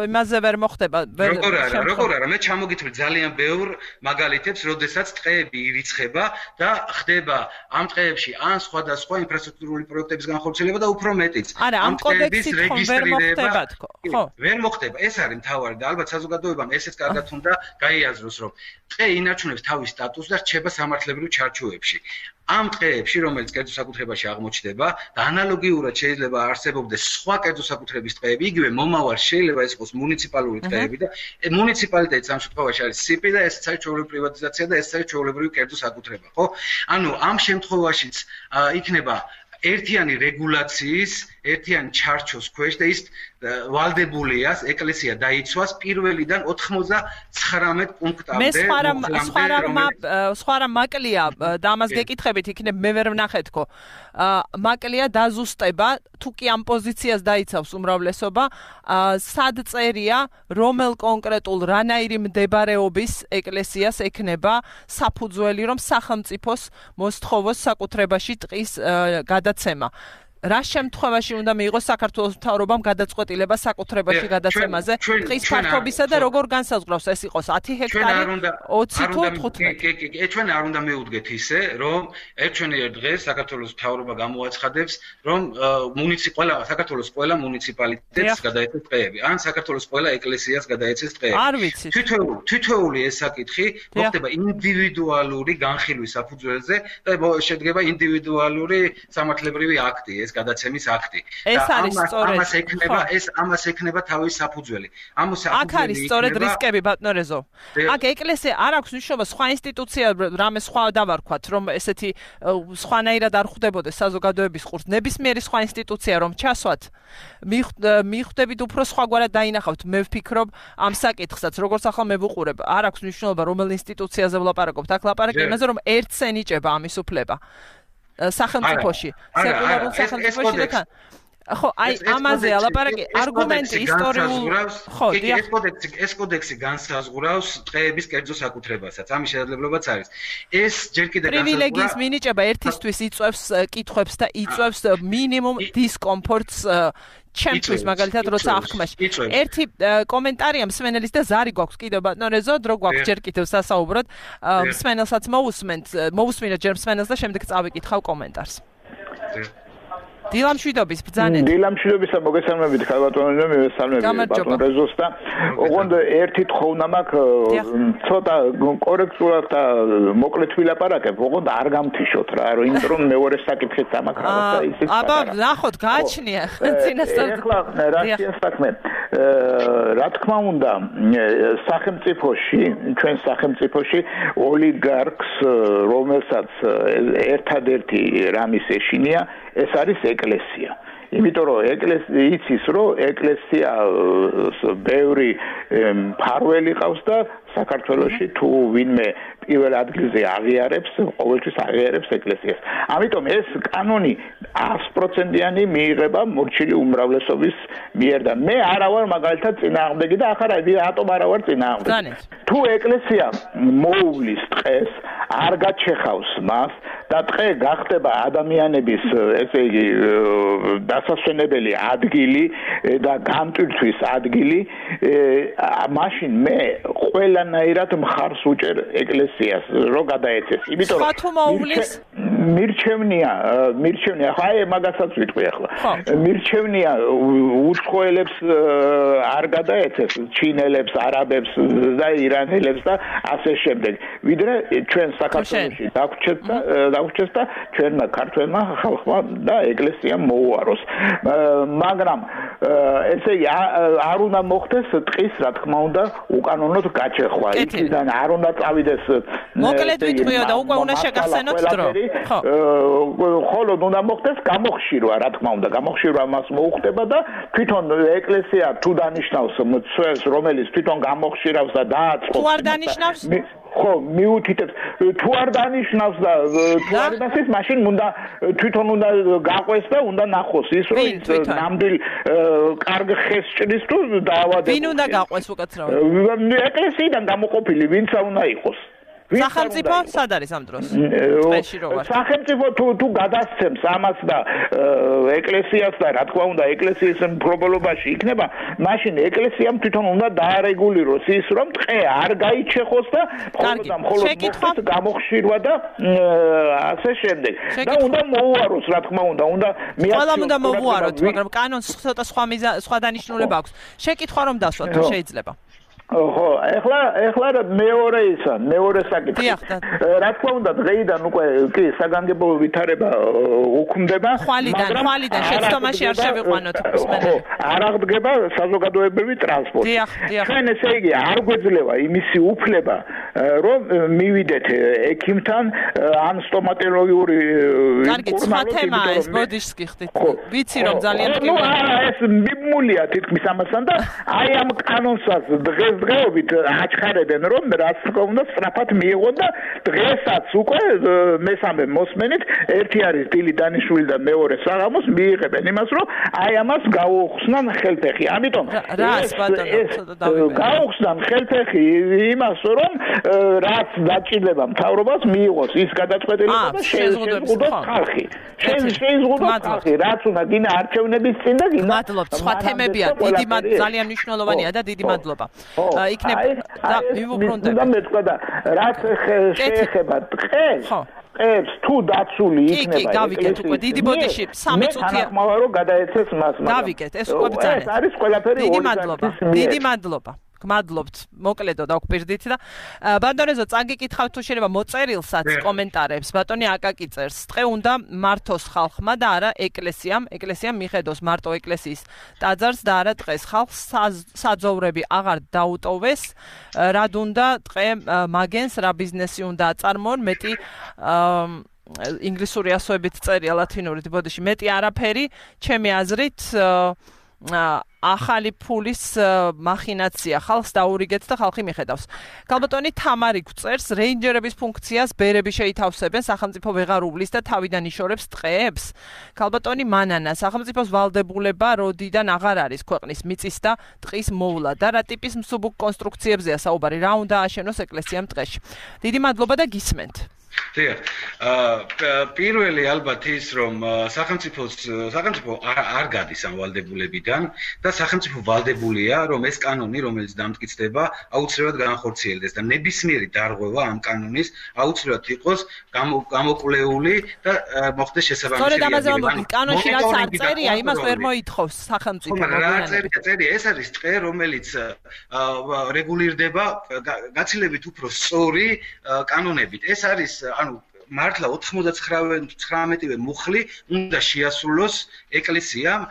იმაზე ვერ მოხდება. როგორ არა, როგორ არა, მე ჩამოგითვლი ძალიან ბევრ მაგალითებს, როდესაც ტყეები ირიცხება და ხდება ამ ტყეებში ან სხვადასხვა ინფრასტრუქტურული პროექტების განხორციელება და უფრო მეტიც. არა, ამ კოდექსით ხომ ვერ მოხდება თქო. ხო. ვერ მოხდება, ეს არის მთავარი და ალბათ საზოგადოებამ ესეც კარგად უნდა გაიაზროს, რომ ტყე ინარჩუნებს თავის სტატუსს და რჩება სამართლებრივ ჩარჩოებში. ამ ტყეებში, რომელიც კერძო საკუთრებაში აღმოჩნდება და ანალოგიურად შეიძლება არსებობდეს სხვა კერძო საკუთრების ტყეები, იგივე მომავალ შეიძლება ეს იყოს მუნიციპალური ტყეები და მუნიციპალიტეტის ამ შემთხვევაში არის სიპი და ეს არის ჩვეულებრივი პრივატიზაცია და ეს არის ჩვეულებრივი კერძო საკუთრება, ხო? ანუ ამ შემთხვევაშიც იქნება ერთიანი რეგულაციის, ერთიანი ჩარჩოს ქვეშ და ის ვალდებულია ეკლესია დაიცვას პირველიდან ოთხმოცდათხრამეტ პუნქტამდე. მე სხვა რამ სხვა რამ სხვა რამ მაკლია და ამას გეკითხებით იქნებ მე ვერ ვნახე თქო. მაკლია დაზუსტება თუ კი ამ პოზიციას დაიცავს უმრავლესობა, სად წერია რომელ კონკრეტულ რანაირი მდებარეობის ეკლესიას ექნება საფუძველი რომ სახელმწიფოს მოსთხოვოს საკუთრებაში ტყის გადაცემა. რა შემთხვევაში უნდა მიიღოს საქართველოს მთავრობამ გადაწყვეტილება საკუთრებაში გადაცემაზე ტყის ფართობისა და როგორ განსაზღვრავს ეს იყოს ათი ჰექტარი ოცი თუ თხუთმეტი? კი, კი, კი, ჩვენ არ უნდა მივუდგეთ ისე, რომ ერთვენიერ დღეს საქართველოს მთავრობა გამოაცხადებს, რომ მუნიციპალ საქართველოს ყველა მუნიციპალიტეტს გადაეცეს ტყეები, ან საქართველოს ყველა ეკლესიას გადაეცეს ტყეები. არ ვიცი. თითოეული, თითოეული ეს საკითხი მოხდება ინდივიდუალური განხილვის საფუძველზე და შედგება ინდივიდუალური სამართლებრივი აქტი, ეს გადაცემის აქტი. ეს არის სწორედ. ამას ექნება, ეს ამას ექნება თავის საფუძველი. ამ საფუძველი აქ არის სწორედ რისკები ბატონო. აქ ეკლესია არ აქვს მნიშვნელობა სხვა ინსტიტუცია რამე სხვა დავარქვათ, რომ ესეთი სხვანაირად არ ხვდებოდეს საზოგადოების ყურს. ნებისმიერი სხვა ინსტიტუცია რომ ჩასვათ, მიხვდებით უფრო სხვაგვარად დაინახავთ. მე ვფიქრობ ამ საკითხსაც, როგორც ახლა მე ვუყურებ, არ აქვს მნიშვნელობა რომელ ინსტიტუციაზე ვლაპარაკობთ. აქ ლაპარაკი იმაზე, რომ ერთს ენიჭება ამის უფლება. სახელმწიფოში, სეკულარულ სახელმწიფოში და თან. ხო, აი ამაზე ლაპარაკი არგუმენტი ისტორიულ ხო, ეს კოდექსი ეს კოდექსი განსაზღვრავს ტყეების კერძო საკუთრებასაც. ამის შესაძლებლობაც არის. ეს ჯერ კიდევ პრივილეგიის მინიჭება ერთისთვის იწვევს კითხვებს და იწვევს მინიმუმ დისკომფორტს ჩემთვის მაგალითად როცა აღქმაში. ერთი კომენტარია მსმენელის და ზარი გვაქვს კიდევ ბატონო რეზო, დრო გვაქვს ჯერ კიდევ სასაუბროდ. მსმენელსაც მოусმენთ, მოусმინოთ ჯერ მსმენელს და შემდეგ წავიკითხავ კომენტარს. დილამშვიდობის ბრძანეთ. დილამშვიდობისა მოგესალმებით ხალბატონო, მივესალმებით ბატონ რეზოს და ოღონდ ერთი თხოვნა მაქვს, ცოტა კორექტულად და მოკლედ ვილაპარაკებ, ოღონდ არ გამთიშოთ რა, იმიტომ რომ მეორე საკითხიც ამაქვს რაღაცა ისიც. აბა, ნახოთ, გააჩნია წინასწარ. ეხლა რაშია საქმე? რა თქმა უნდა, სახელმწიფოში, ჩვენ სახელმწიფოში ოლიგარქს, რომელსაც ერთადერთი რამის ეშინია, ეს არის ეკლესია. იმიტომ რომ ეკლესია იცის რომ ეკლესია ბევრი მფარველი ყავს და საქართველოში თუ ვინმე პირველ ადგილზე აღიარებს, ყოველთვის აღიარებს ეკლესიას. ამიტომ ეს კანონი ათი პროცენტიანი მიიღება მორჩილი უმრავლესობის მიერ და მე არა ვარ მაგალითად წინააღმდეგი და ახლა რატომ არა ვარ წინააღმდეგი. თუ ეკლესია მოუვლის ტყეს, არ გაჩეხავს მას და ტყე გახდება ადამიანების ესე იგი დასასვენებელი ადგილი და გამტვირთვის ადგილი, მაშინ მე ყველანაირად მხარს უჭერ ეკლესიას, რომ გადაეცეს. იმიტომ რომ მირჩევნია მირჩევნია ხა აი მაგასაც ვიტყვი ახლა მირჩევნია უცხოელებს არ გადაეცეს ჩინელებს არაბებს და ირანელებს და ასე შემდეგ ვიდრე ჩვენ საქართველოში დაგვრჩეთ და დაგვრჩეს და ჩვენმა ქართველმა ხალხმა და ეკლესიამ მოუაროს მაგრამ ესე იგი არ უნდა მოხდეს ტყის რა თქმა უნდა უკანონოდ გაჩეხვა იქიდან არ უნდა წავიდეს მოკლედ ვიტყვიო და უკვე უნდა შეგახსენოთ დრო ხოლო უნდა მოხდეს გამოხშირვა რა თქმა უნდა გამოხშირვა მას მოუხდება და თვითონ ეკლესია თუ დანიშნავს მცველს რომელიც თვითონ გამოხშირავს და დააწყობს თუ არ დანიშნავს ხო მიუთითებს თუ არ დანიშნავს და თუ არ დანიშნავს მაშინ უნდა თვითონ უნდა გაყვეს და უნდა ნახოს ის რომ ის ნამდვილ კარგ ხეს ჭრის თუ დაავადებს ვინ უნდა გაყვეს უკაცრავად ეკლესიიდან გამოყოფილი ვინცა უნდა იყოს სახელმწიფო სად არის ამ დროს? წეში რო ვარ. სახელმწიფო თუ თუ გადასცემს ამას და ეკლესიას და რა თქმა უნდა ეკლესიის მფლობელობაში იქნება, მაშინ ეკლესიამ თვითონ უნდა დაარეგულიროს ის, რომ ტყე არ გაიჩეხოს და მხოლოდ მხოლოდ მოხდეს გამოხშირვა და ასე შემდეგ. და უნდა მოუაროს, რა თქმა უნდა, უნდა მიაქციოს. ყველა უნდა მოუაროთ, მაგრამ კანონს ცოტა სხვა სხვა დანიშნულება აქვს. შეკითხვა რომ დასვათ, თუ შეიძლება. ხო, ეხლა ეხლა მეორე ისა, მეორე საკითხი. რა თქმა უნდა, დღეიდან უკვე კი საგანგებო ვითარება უქმდება, მაგრამ ხვალიდან შეცდომაში არ შევიყვანოთ. ხო, არ აღდგება საზოგადოებრივი ტრანსპორტი. ჩვენ ესე იგი არ გვეძლევა იმისი უფლება, რომ მივიდეთ ექიმთან ან სტომატოლოგიური კარგი, სხვა თემა ეს, ბოდიშს გიხდით. ვიცი რომ ძალიან კი. ნუ ეს მიმულია თითქმის ამასთან და აი ამ კანონსაც დღეს დღეობით აჩხარებენ რომ რაც თქმა უნდა სწრაფად მიიღონ და დღესაც უკვე მესამე მოსმენით ერთი არის დილი დანიშნული და მეორე საღამოს მიიღებენ იმას რომ აი ამას გაუხსნან ხელფეხი. ამიტომ რას ბატონო გაუხსნან ხელფეხი იმას რომ რაც დაჭირდება მთავრობას მიიღოს ის გადაწყვეტილება და შეზღუდოს ხალხი. შეზღუდოს ხალხი რაც უნდა გინა არჩევნების წინ და გინა მადლობთ. სხვა თემებია დიდი ძალიან მნიშვნელოვანია და დიდი მადლობა. იქნება და მივუბრუნდები. და მეცდა და რაც შეეხება ტყეს, ტყეს თუ დაცული იქნება. კი, გავიგეთ უკვე დიდი ბოდიში სამი წუთია. მაგრამ რომ გადაეცეს მას. გავიგეთ, ეს უკვე ბრძანა. ეს არის ყველაფერი დიდი მადლობა. დიდი მადლობა. გმადლობთ მოკლედო და გვპირდით და ბატონეზო წაგიკითხავთ თუ შეიძლება მოწერილსაც კომენტარებს ბატონი აკაკი წერს ტყე უნდა მართოს ხალხმა და არა ეკლესიამ ეკლესიამ მიხედოს მარტო ეკლესიის ტაძარს და არა ტყეს ხალხს საძოვრები აღარ დაუტოვეს რად უნდა ტყე მაგენს რა ბიზნესი უნდა აწარმოონ მეტი ინგლისური ასოებით წერია ლათინურით ბოდიში მეტი არაფერი ჩემი აზრით ახალი ფულის მახინაცია ხალხს დაურიგეთ და ხალხი მიხედავს. ქალბატონი თამარი გვწერს რეინჯერების ფუნქციას ბერები შეითავსებენ სახელმწიფო ვეღარ უვლის და თავიდან იშორებს ტყეებს. ქალბატონი მანანა სახელმწიფოს ვალდებულება როდიდან აღარ არის ქვეყნის მიწის და ტყის მოვლა და რა ტიპის მსუბუქ კონსტრუქციებზეა საუბარი რა უნდა აშენოს ეკლესიამ ტყეში. დიდი მადლობა და გისმენთ. დიახ. პირველი ალბათ ის რომ სახელმწიფოს სახელმწიფო არ გადის ამ ვალდებულებიდან და სახელმწიფო ვალდებულია რომ ეს კანონი რომელიც დამტკიცდება აუცილებლად განხორციელდეს და ნებისმიერი დარღვევა ამ კანონის აუცილებლად იყოს გამოკვლეული და მოხდეს შესაბამისი. სწორედ ამაზე ვამბობთ, კანონში რაც არ წერია, იმას ვერ მოითხოვს სახელმწიფო. რა წერია, წერია, ეს არის ტყე რომელიც რეგულირდება გაცილებით უფრო სწორი კანონებით. ეს არის ანუ მართლა ოთხმოცდათხრამეტივე მუხლი უნდა შეასრულოს ეკლესიამ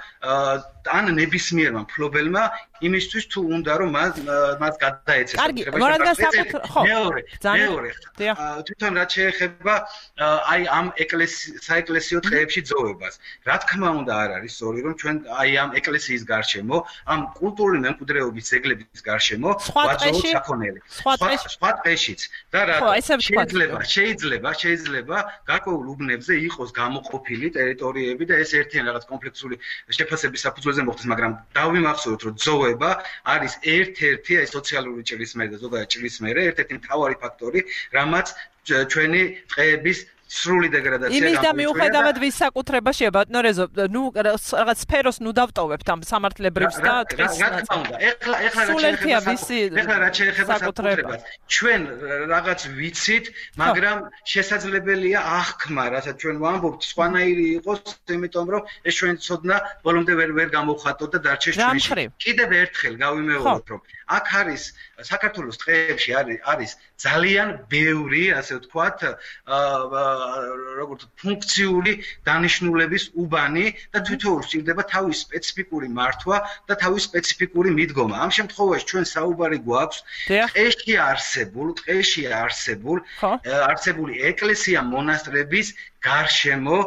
ან ნებისმიერმა მფლობელმა იმისთვის თუ უნდა რომ მას გადაეცეს. კარგი, რადგან საკუთრ ხო. მეორე, მეორე. თვითონ რაც შეეხება აი ამ საეკლესიო ტყეებში ძოვებას. რა თქმა უნდა არ არის სწორი რომ ჩვენ აი ამ ეკლესიის გარშემო, ამ კულტურული მემკვიდრეობის ძეგლების გარშემო ვაძოვოთ საქონელი. სხვა ტყეშიც და რა შეიძლება, შეიძლება, შეიძლება გარკვეულ უბნებზე იყოს გამოყოფილი ტერიტორიები და ეს ერთიან რაღაც კომპლექსური შეფასების საფუძველზე მოხდეს, მაგრამ დავიმახსოვროთ რომ ძოვება არის ერთ-ერთი აი სოციალური ჭრილისმერი და ზოგადად ჭრილისმერი, ერთ-ერთი მთავარი ფაქტორი, რამაც ჩვენი ტყეების სრული დეგრადაცია იმის და მიუხედავად ვის საკუთრებაშია ბატონო რეზო, ნუ რაღაც სფეროს ნუ დავტოვებთ ამ სამართლებრივს და ტყის ნაწილს. ეხლა ეხლა რაც შეეხება საკუთრებას. ჩვენ რაღაც ვიცით, მაგრამ შესაძლებელია აღქმა, რასაც ჩვენ ვამბობთ, სხვანაირი იყოს, იმიტომ რომ ეს ჩვენ ცოდნა ბოლომდე ვერ ვერ გამოვხატოთ და დარჩეს ჩვენში. კიდევ ერთხელ გავიმეოროთ, რომ აქ არის საქართველოს ტყეებში არის არის ძალიან ბევრი, ასე ვთქვათ, როგორც ფუნქციური დანიშნულების უბანი და თვითონ სჭირდება თავის სპეციფიკური მართვა და თავის სპეციფიკური მიდგომა. ამ შემთხვევაში ჩვენ საუბარი გვაქვს ტყეში არსებულ, ტყეში არსებულ, არსებული ეკლესია მონასტრების გარშემო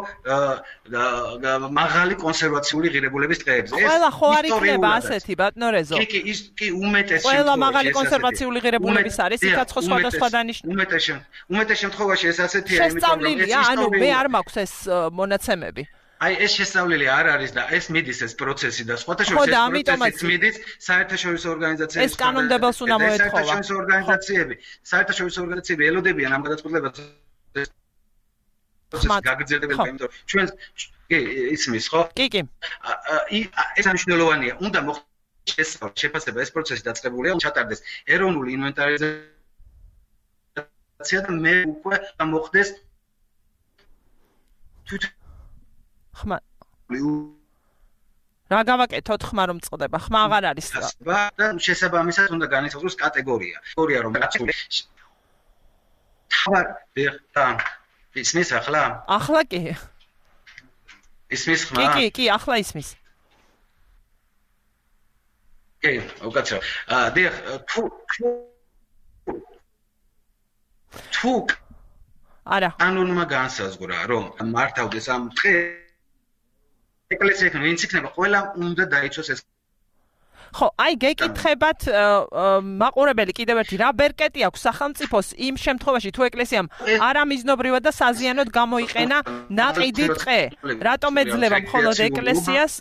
მაღალი კონსერვაციული ღირებულების ტყეებზე. ყველა ხო არ იქნება ასეთი ბატონო რეზო? კი კი ის კი უმეტეს შემთხვევაში ყველა მაღალი კონსერვაციული ღირებულების არის, იქაც ხო სხვადასხვა დანიშნული. უმეტეს უმეტეს შემთხვევაში ეს ასეთია, იმიტომ რომ ეს ანუ მე არ მაქვს ეს მონაცემები. აი ეს შესწავლილი არ არის და ეს მიდის ეს პროცესი და სხვათა შორის ეს პროცესი მიდის საერთაშორისო ორგანიზაციების ეს კანონმდებელს უნდა მოეთხოვა. საერთაშორისო ორგანიზაციები, საერთაშორისო ორგანიზაციები ელოდებიან ამ გადაწყვეტილებას პროცესი გაგრძელდება, იმიტომ რომ ჩვენ კი ისმის ხო? კი კი. ეს მნიშვნელოვანია. უნდა მოხდეს შეფასება ეს პროცესი დაწყებულია, ჩატარდეს ეროვნული ინვენტარიზაცია და მე უკვე მოხდეს თვითონ ხმა რა გავაკეთოთ ხმა რომ წყდება ხმა აღარ არის და შესაბამისად უნდა განისაზღვროს კატეგორია კატეგორია რომ თავარ და ისმის ახლა ახლა კი ისმის ხმა კი კი კი ახლა ისმის კი უკაცრავ აა დიახ თუ თუ არა ანონიმა განსაზღვრა რომ მართავდეს ამ ტყეს ეკლესიიდან ვინც იქნება ყველა უნდა დაიცოს ეს ხო აი გეკითხებათ მაყურებელი კიდევ ერთი რა ბერკეტი აქვს სახელმწიფოს იმ შემთხვევაში თუ ეკლესიამ არამიზნობრივად და საზიანოდ გამოიყენა ნაყიდი ტყე რატომ ეძლევა მხოლოდ ეკლესიას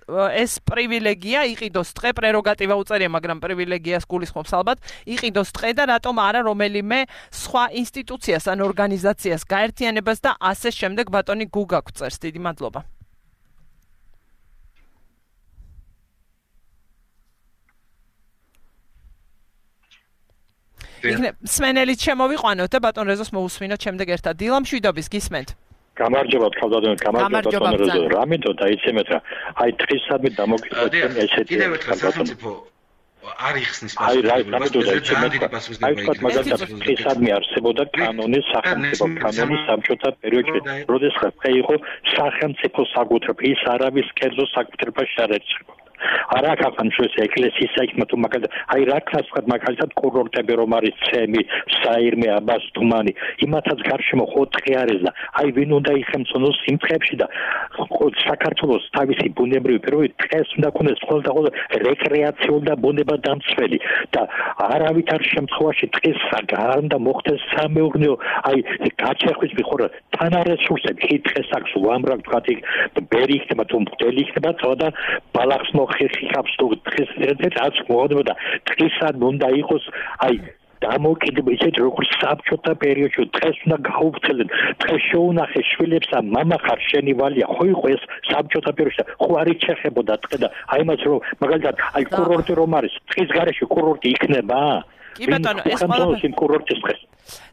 ეს პრივილეგია იყიდოს ტყე პრეროგატივა უწერია მაგრამ პრივილეგიას გულისხმობს ალბათ იყიდოს ტყე და რატომ არა რომელიმე სხვა ინსტიტუციას ან ორგანიზაციას გაერთიანებას და ასე შემდეგ ბატონი გუგა გვწერს დიდი მადლობა იქნებ სმენელით შემოვიყვანოთ და ბატონ რეზოს მოусმინოთ შემდეგ ერთად დილა მშვიდობის გისმენთ გამარჯობა თავდადოთ გამარჯობა ბატონ რეზო რამეთო დაიცემეთ რა აი დღისადმე დამოკიდეთ ესეთი კიდევ ერთხელ სახელმწიფო არ იხსნის აი რა რამეთო დაიცემეთ აი თქვა მაგალითად დღისადმე არსებობდა კანონი სახელმწიფო კანონი საბჭოთა პერიოდში როდესაც იყო სახელმწიფო საკუთრება ის არავის კერძო საკუთრებაში არ ერჩებოდა არა ქართლის ეკლესიის საქმე თუ მაგალითად აი რა ქართლად მაგალითად კურორტები რომ არის ცემი საირმე აბას თუმანი იმათაც გარშემო ხო ტყე არის და აი ვინ უნდა იხემწონოს იმ ტყეებში და საქართველოს თავისი ბუნებრივი პირობები ტყეს უნდა ქონდეს ხოლმე ხოლმე რეკრეაციულ და ბუნება დამცველი და არავითარ შემთხვევაში ტყეს არ უნდა მოხდეს სამეურნეო აი გაჩეხვის მიხორა თან არ რესურსები კი ტყეს აქვს უამრავ თქვა ბერი იქნება თუ მღვდელი იქნება და ბალახს ხიხავს თუ დღეს ერთად მოხდება დღისად უნდა იყოს აი დამოკიდება ისეთ როგორც საბჭოთა პერიოდში დღეს უნდა გაუვრცელდნენ დღეს შეუნახე შვილებს და мама ხარ შენი ვალია ხო იყო ეს საბჭოთა პერიოდში ხო არ იჩეხებოდა ტყე და აი მას რომ მაგალითად აი კურორტი რომ არის ტყის გარეშე კურორტი იქნება კი ბატონო ეს ყველაფერი კურორტის დღეს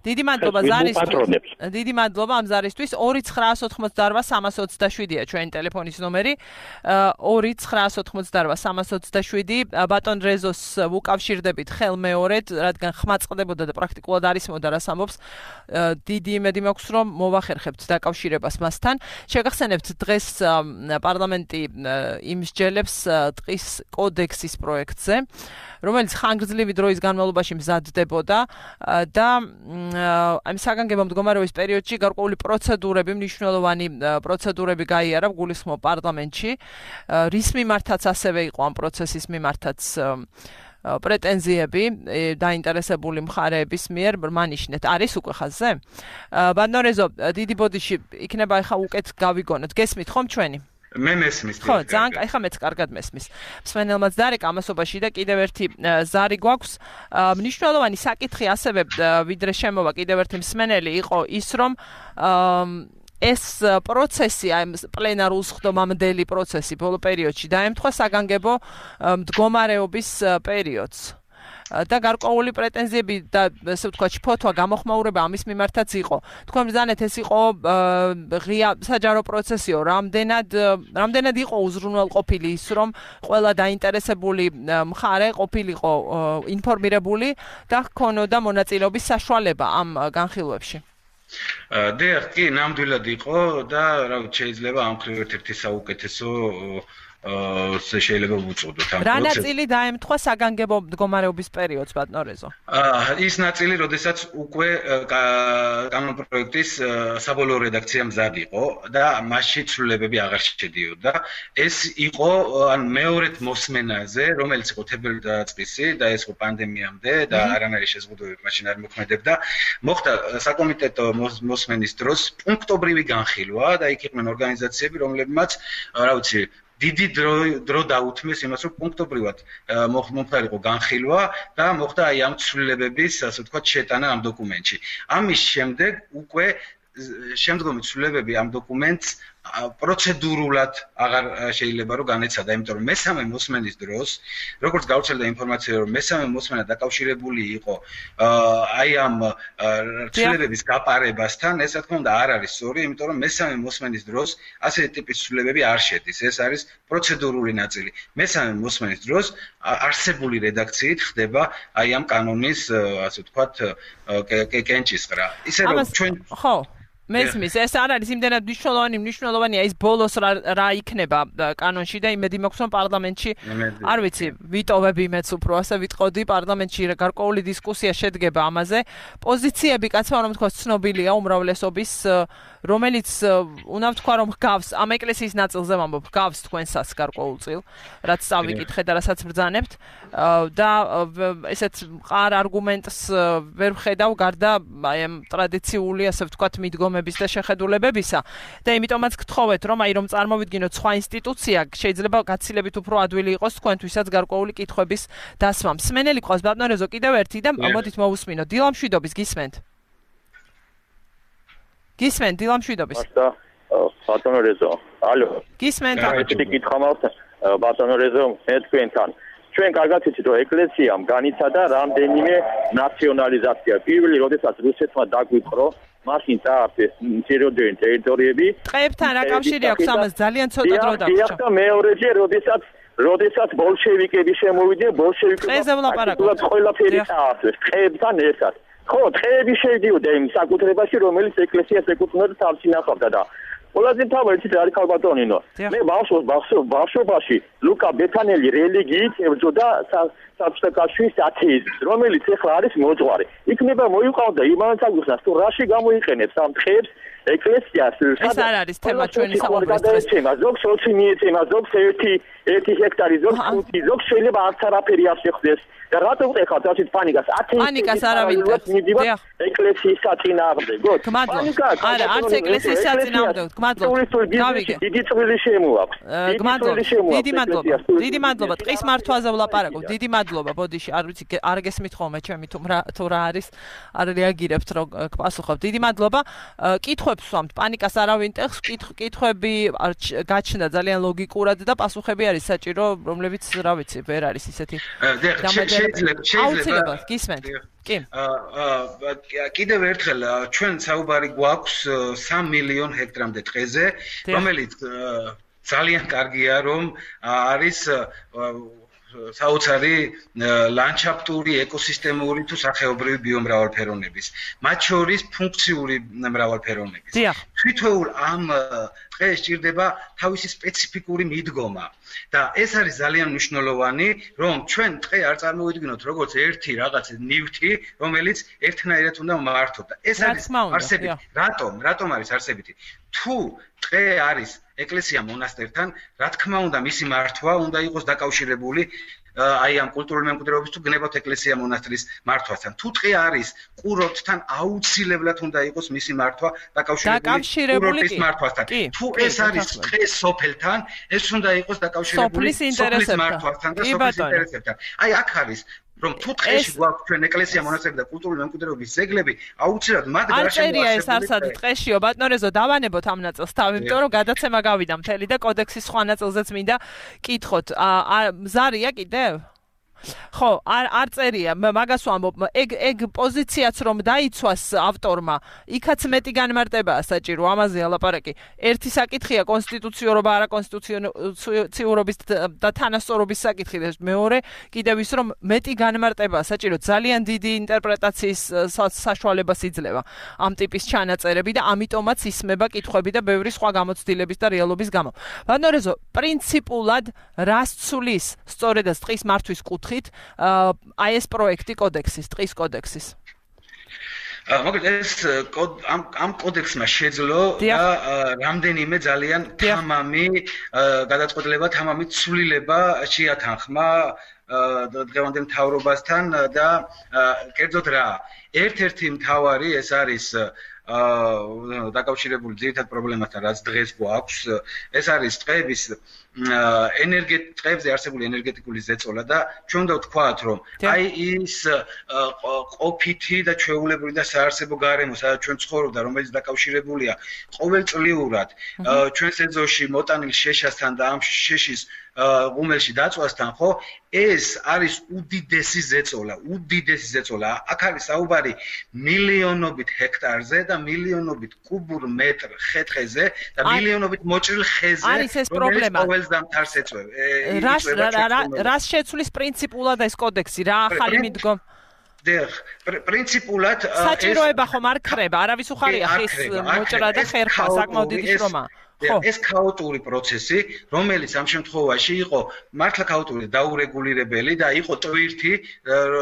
დიდი მადლობა ზარისთვის დიდი მადლობა ამ ზარისთვის ორი ცხრაასი ოცდაოთხმოცდაოთხ სამას ოცდაშვიდია ჩვენი ტელეფონის ნომერი ორი ცხრაასი ოცდაოთხმოცდაოთხ სამას ოცდაშვიდი ბატონ რეზოს უკავშირდებით ხელმეორედ რადგან ხმა წყდებოდა და პრაქტიკულად არ ისმოდა რას ამბობს დიდი იმედი მაქვს რომ მოვახერხებთ დაკავშირებას მასთან შეგახსენებთ დღეს პარლამენტი იმსჯელებს ტყის კოდექსის პროექტზე რომელიც ხანგრძლივი დროის განმავლობაში მზადდებოდა და ამ საგანგებო მდგომარეობის პერიოდში გარკვეული პროცედურები, მნიშვნელოვანი პროცედურები გაიარა გულისხმობ პარლამენტში, რის მიმართაც ასევე იყო ამ პროცესის მიმართაც პრეტენზიები დაინტერესებული მხარეების მიერ მანიშნეთ. არის უკვე ხაზზე? ბატონო რეზო, დიდი ბოდიში იქნება ახლა უკეთ გავიგონოთ. გესმით ხომ ჩვენი? მე მესმის ხო ძალიან კაი ხა მეც კარგად მესმის მსმენელმაც დარეკ ამასობაში და კიდევ ერთი ზარი გვაქვს მნიშვნელოვანი საკითხი ასევე ვიდრე შემოვა კიდევ ერთი მსმენელი იყო ის რომ ეს პროცესი, აი პლენარულ სხდომამდელი პროცესი ბოლო პერიოდში დაემთხვა საგანგებო მდგომარეობის პერიოდს. და გარკვეული პრეტენზიები და ესე ვთქვათ ფოთვა გამოხმაურება ამის მიმართაც იყო. თქვენ ბრძანეთ ეს იყო ღია საჯარო პროცესიო, რამდენად რამდენად იყო უზრუნველყოფილი ის, რომ ყველა დაინტერესებული მხარე ყოფილიყო ინფორმირებული და ჰქონოდა მონაწილეობის საშუალება ამ განხილვებში. დიახ, კი, ნამდვილად იყო და რა ვიცი, შეიძლება ამ მხრივ ერთ-ერთი საუკეთესო აა შეიძლება ვუწოდოთ ამ პროცესს. რა ნაწილი დაემთხვა საგანგებო მდგომარეობის პერიოდს, ბატონო რეზო? აა ის ნაწილი, როდესაც უკვე კანონპროექტის საბოლოო რედაქცია მზად იყო და მასში ცვლილებები აღარ შედიოდა. ეს იყო ან მეორედ მოსმენაზე, რომელიც იყო თებერვალ-დაწყისი და ეს იყო პანდემიამდე და არანაირი შეზღუდვები მაშინ არ მოქმედებდა. მოხდა საკომიტეტო მოსმენის დროს პუნქტობრივი განხილვა და იქ იყვნენ ორგანიზაციები, რომლებმაც რა ვიცი დიდი დრო დრო დაუთმეს იმას, რომ პუნქტობრივად მომხდარიყო განხილვა და მოხდა აი ამ ცვლილებების, ასე ვთქვათ, შეტანა ამ დოკუმენტში. ამის შემდეგ უკვე შემდგომი ცვლილებები ამ დოკუმენტს პროცედურულად აღარ შეიძლება რომ განეცადა, იმიტომ რომ მესამე მოსმენის დროს, როგორც გავრცელდა ინფორმაცია, რომ მესამე მოსმენა დაკავშირებული იყო აი ამ ცვლილებების გაპარებასთან, ეს რა თქმა უნდა არ არის სწორი, იმიტომ რომ მესამე მოსმენის დროს ასეთი ტიპის ცვლილებები არ შედის. ეს არის პროცედურული ნაწილი. მესამე მოსმენის დროს არსებული რედაქციით ხდება აი ამ კანონის, ასე ვთქვათ, კენჭისყრა. ისე რომ ჩვენ ხო მესმის, ეს არ არის იმდენად მნიშვნელოვანი, მნიშვნელოვანია ის ბოლოს რა იქნება კანონში და იმედი მაქვს, რომ პარლამენტში, არ ვიცი, ვიტოვები მეც უფრო ასე ვიტყოდი, პარლამენტში გარკვეული დისკუსია შედგება ამაზე. პოზიციები, კაცმა რომ თქვა, ცნობილია უმრავლესობის, რომელიც უნდა ვთქვა, რომ ჰგავს ამ ეკლესიის ნაწილზე ვამბობ, ჰგავს თქვენსაც გარკვეულწილ, რაც წავიკითხე და რასაც ბრძანებთ და ესეც მყარ არგუმენტს ვერ ვხედავ გარდა აი ამ ტრადიციული, ასე ვთქვათ, მიდგომების და შეხედულებებისა და იმიტომაც გთხოვეთ, რომ აი რომ წარმოვიდგინოთ სხვა ინსტიტუცია, შეიძლება გაცილებით უფრო ადვილი იყოს თქვენთვისაც გარკვეული კითხვების დასმა. მსმენელი ყავს ბატონო რეზო კიდევ ერთი და მოდით მოვუსმინოთ. დილამშვიდობის გისმენთ? გისმენთ დილამშვიდობის? ბატონო რეზო. ალო. გისმენთ? ერთი კითხვა მაქვს ბატონო რეზო, მე თქვენთან. ჩვენ კარგად ვიცით, რომ ეკლესიამ განიცადა რამდენიმე ნაციონალიზაცია. პირველი, როდესაც რუსეთმა დაგვიყრო, მაშინ წაართეს მცირეოდენი ტერიტორიები. ტყეებთან რა კავშირი აქვს ამას? ძალიან ცოტა დრო დაგვრჩა. დიახ, და მეორეჯერ, როდესაც როდესაც ბოლშევიკები შემოვიდნენ, ბოლშევიკებმა ტყეზე ვლაპარაკობთ. ყველაფერი წაართეს ტყეებთან ერთად. ხო, ტყეები შედიოდა იმ საკუთრებაში, რომელიც ეკლესიას ეკუთვნოდა თავს ინახავდა და ყველაზე მთავარი ცით არის ხალბატონინო. მე ბავშვ ბავშვობაში ლუკა ბეთანელი რელიგიით ებრძოდა საბჭოთაშუის ათეიზმს, რომელიც ახლა არის მოძღვარი. იქნება მოიყვანდა იმანსაგუსას თუ რაში გამოიყენებს ამ ტყეებს ეკლესიას. ეს არ არის თემა ჩვენი საუბრის თემა. ზოგს ოცი მიეცემა, ზოგს ერთი ერთი ჰექტარი, ზოგს ხუთი, ზოგს შეიძლება არც არაფერი არ შეხვდეს. და რატო ვყეხავთ ასეთ პანიკას? პანიკას არავინ დიახ. ეკლესიის საწინააღმდეგოდ. პანიკა არა, არც ეკლესიის საწინააღმდეგოდ. გმადლობთ. გავიგე. დიდი წვლილი შემოაქვს. გმადლობთ. დიდი მადლობა. დიდი მადლობა. ტყის მართვაზე ვლაპარაკობ. დიდი მადლობა. ბოდიში, არ ვიცი, არ გესმით ხოლმე ჩემი თუ რა თუ რა არის, არ რეაგირებთ რომ გპასუხობ. დიდი მადლობა. კითხვებს ვამთ. პანიკას არავინ ტეხს, კითხვები გაჩნდა ძალიან ლოგიკურად და პასუხები არის საჭირო, რომლებიც რა ვიცი, ვერ არის ისეთი. შეიძლება შეიძლება გისმენთ. კი. აა კიდევ ერთხელ ჩვენ საუბარი გვაქვს სამი მილიონ ჰექტრამდე ტყეზე, რომელიც ძალიან კარგია რომ არის საოცარი ლანდშაფტური, ეკოსისტემური თუ სახეობრივი ბიომრავალფეროვნების, მათ შორის ფუნქციური მრავალფეროვნების. თვითოეულ ამ ტყეს სჭირდება თავისი სპეციფიკური მიდგომა და ეს არის ძალიან მნიშვნელოვანი, რომ ჩვენ ტყე არ წარმოვიდგინოთ როგორც ერთი რაღაც ნივთი, რომელიც ერთნაირად უნდა მართოთ. ეს არის არსებითი. რატომ? რატომ არის არსებითი? თუ ტყე არის ეკლესია მონასტერთან, რა თქმა უნდა, მისი მართვა უნდა იყოს დაკავშირებული აი ამ კულტურული მემკვიდრეობის თუ გნებავთ ეკლესია მონასტრის მართვასთან. თუ ტყე არის კურორტთან, აუცილებლად უნდა იყოს მისი მართვა დაკავშირებული კურორტის მართვასთან. თუ ეს არის ტყე სოფელთან, ეს უნდა იყოს დაკავშირებული სოფლის მართვასთან და სოფლის ინტერესებთან. აი აქ არის რომ თუ დღეში გვაქვს ჩვენ ეკლესია, მონასტერი და კულტურული მემკვიდრეობის ძეგლები, აუცილებლად მათ გარშემო არწერია ეს არსად დღეშიო ბატონო დავანებოთ ამ ნაწილს თავი, იმიტომ რომ გადაცემა გავიდა მთელი და კოდექსის სხვა ნაწილზეც მინდა კითხოთ. ზარია კიდევ? ხო, არ არ წერია, მაგას ვამბობ, ეგ ეგ პოზიციაც რომ დაიცვას ავტორმა, იქაც მეტი განმარტებაა საჭირო, ამაზე ალაპარაკი. ერთი საკითხია კონსტიტუციურობა, არა კონსტიტუციურობის და თანასწორობის საკითხი და მეორე კიდევ ის რომ მეტი განმარტებაა საჭირო, ძალიან დიდი ინტერპრეტაციის საშუალებას იძლევა ამ ტიპის ჩანაწერები და ამიტომაც ისმება კითხვები და ბევრი სხვა გამოცდილების და რეალობის გამო. ბანორეზო, პრინციპულად რას ცulis სწორედაც ტყის მართვის კუთხით აი ეს პროექტი კოდექსის, ტყის კოდექსის. მოკლედ ეს ამ ამ კოდექსმა შეძლო და რამდენიმე ძალიან თამამი გადაწყვეტილება, თამამი ცვლილება შეათანხმა დღევანდელ მთავრობასთან და კერძოდ რა, ერთ-ერთი მთავარი ეს არის დაკავშირებული ძირითად პრობლემასთან, რაც დღეს გვაქვს, ეს არის ტყეების ენერგეტიკებზე არსებული ენერგეტიკული ზეწოლა და ჩვენ უნდა ვთქვათ, რომ აი ის ყოფითი და ჩვეულებრივი და საარსებო გარემო, სადაც ჩვენ ცხოვრობდა, რომელიც დაკავშირებულია ყოველწლიურად ჩვენს ეზოში მოტანილ შეშასთან და ამ შეშის ღუმელში დაწვასთან, ხო? ეს არის უდიდესი ზეწოლა, უდიდესი ზეწოლა. აქ არის საუბარი მილიონობით ჰექტარზე და მილიონობით კუბურ მეტრ ხეთხეზე და მილიონობით მოჭრილ ხეზე, არის ეს პრობლემა. დამთარს ეწევ. რას რას შეცვლის პრინციპულად ეს კოდექსი, რა ახალი მიდგომ? დიახ, პრინციპულად საჭიროება ხომ არ ქრება, არავის უხარია ხის მოჭრა და ხერხვა, საკმაოდ დიდი შრომა. ეს ქაოტური პროცესი, რომელიც ამ შემთხვევაში იყო მართლა ქაოტური, დაურეგულირებელი და იყო ტვირთი,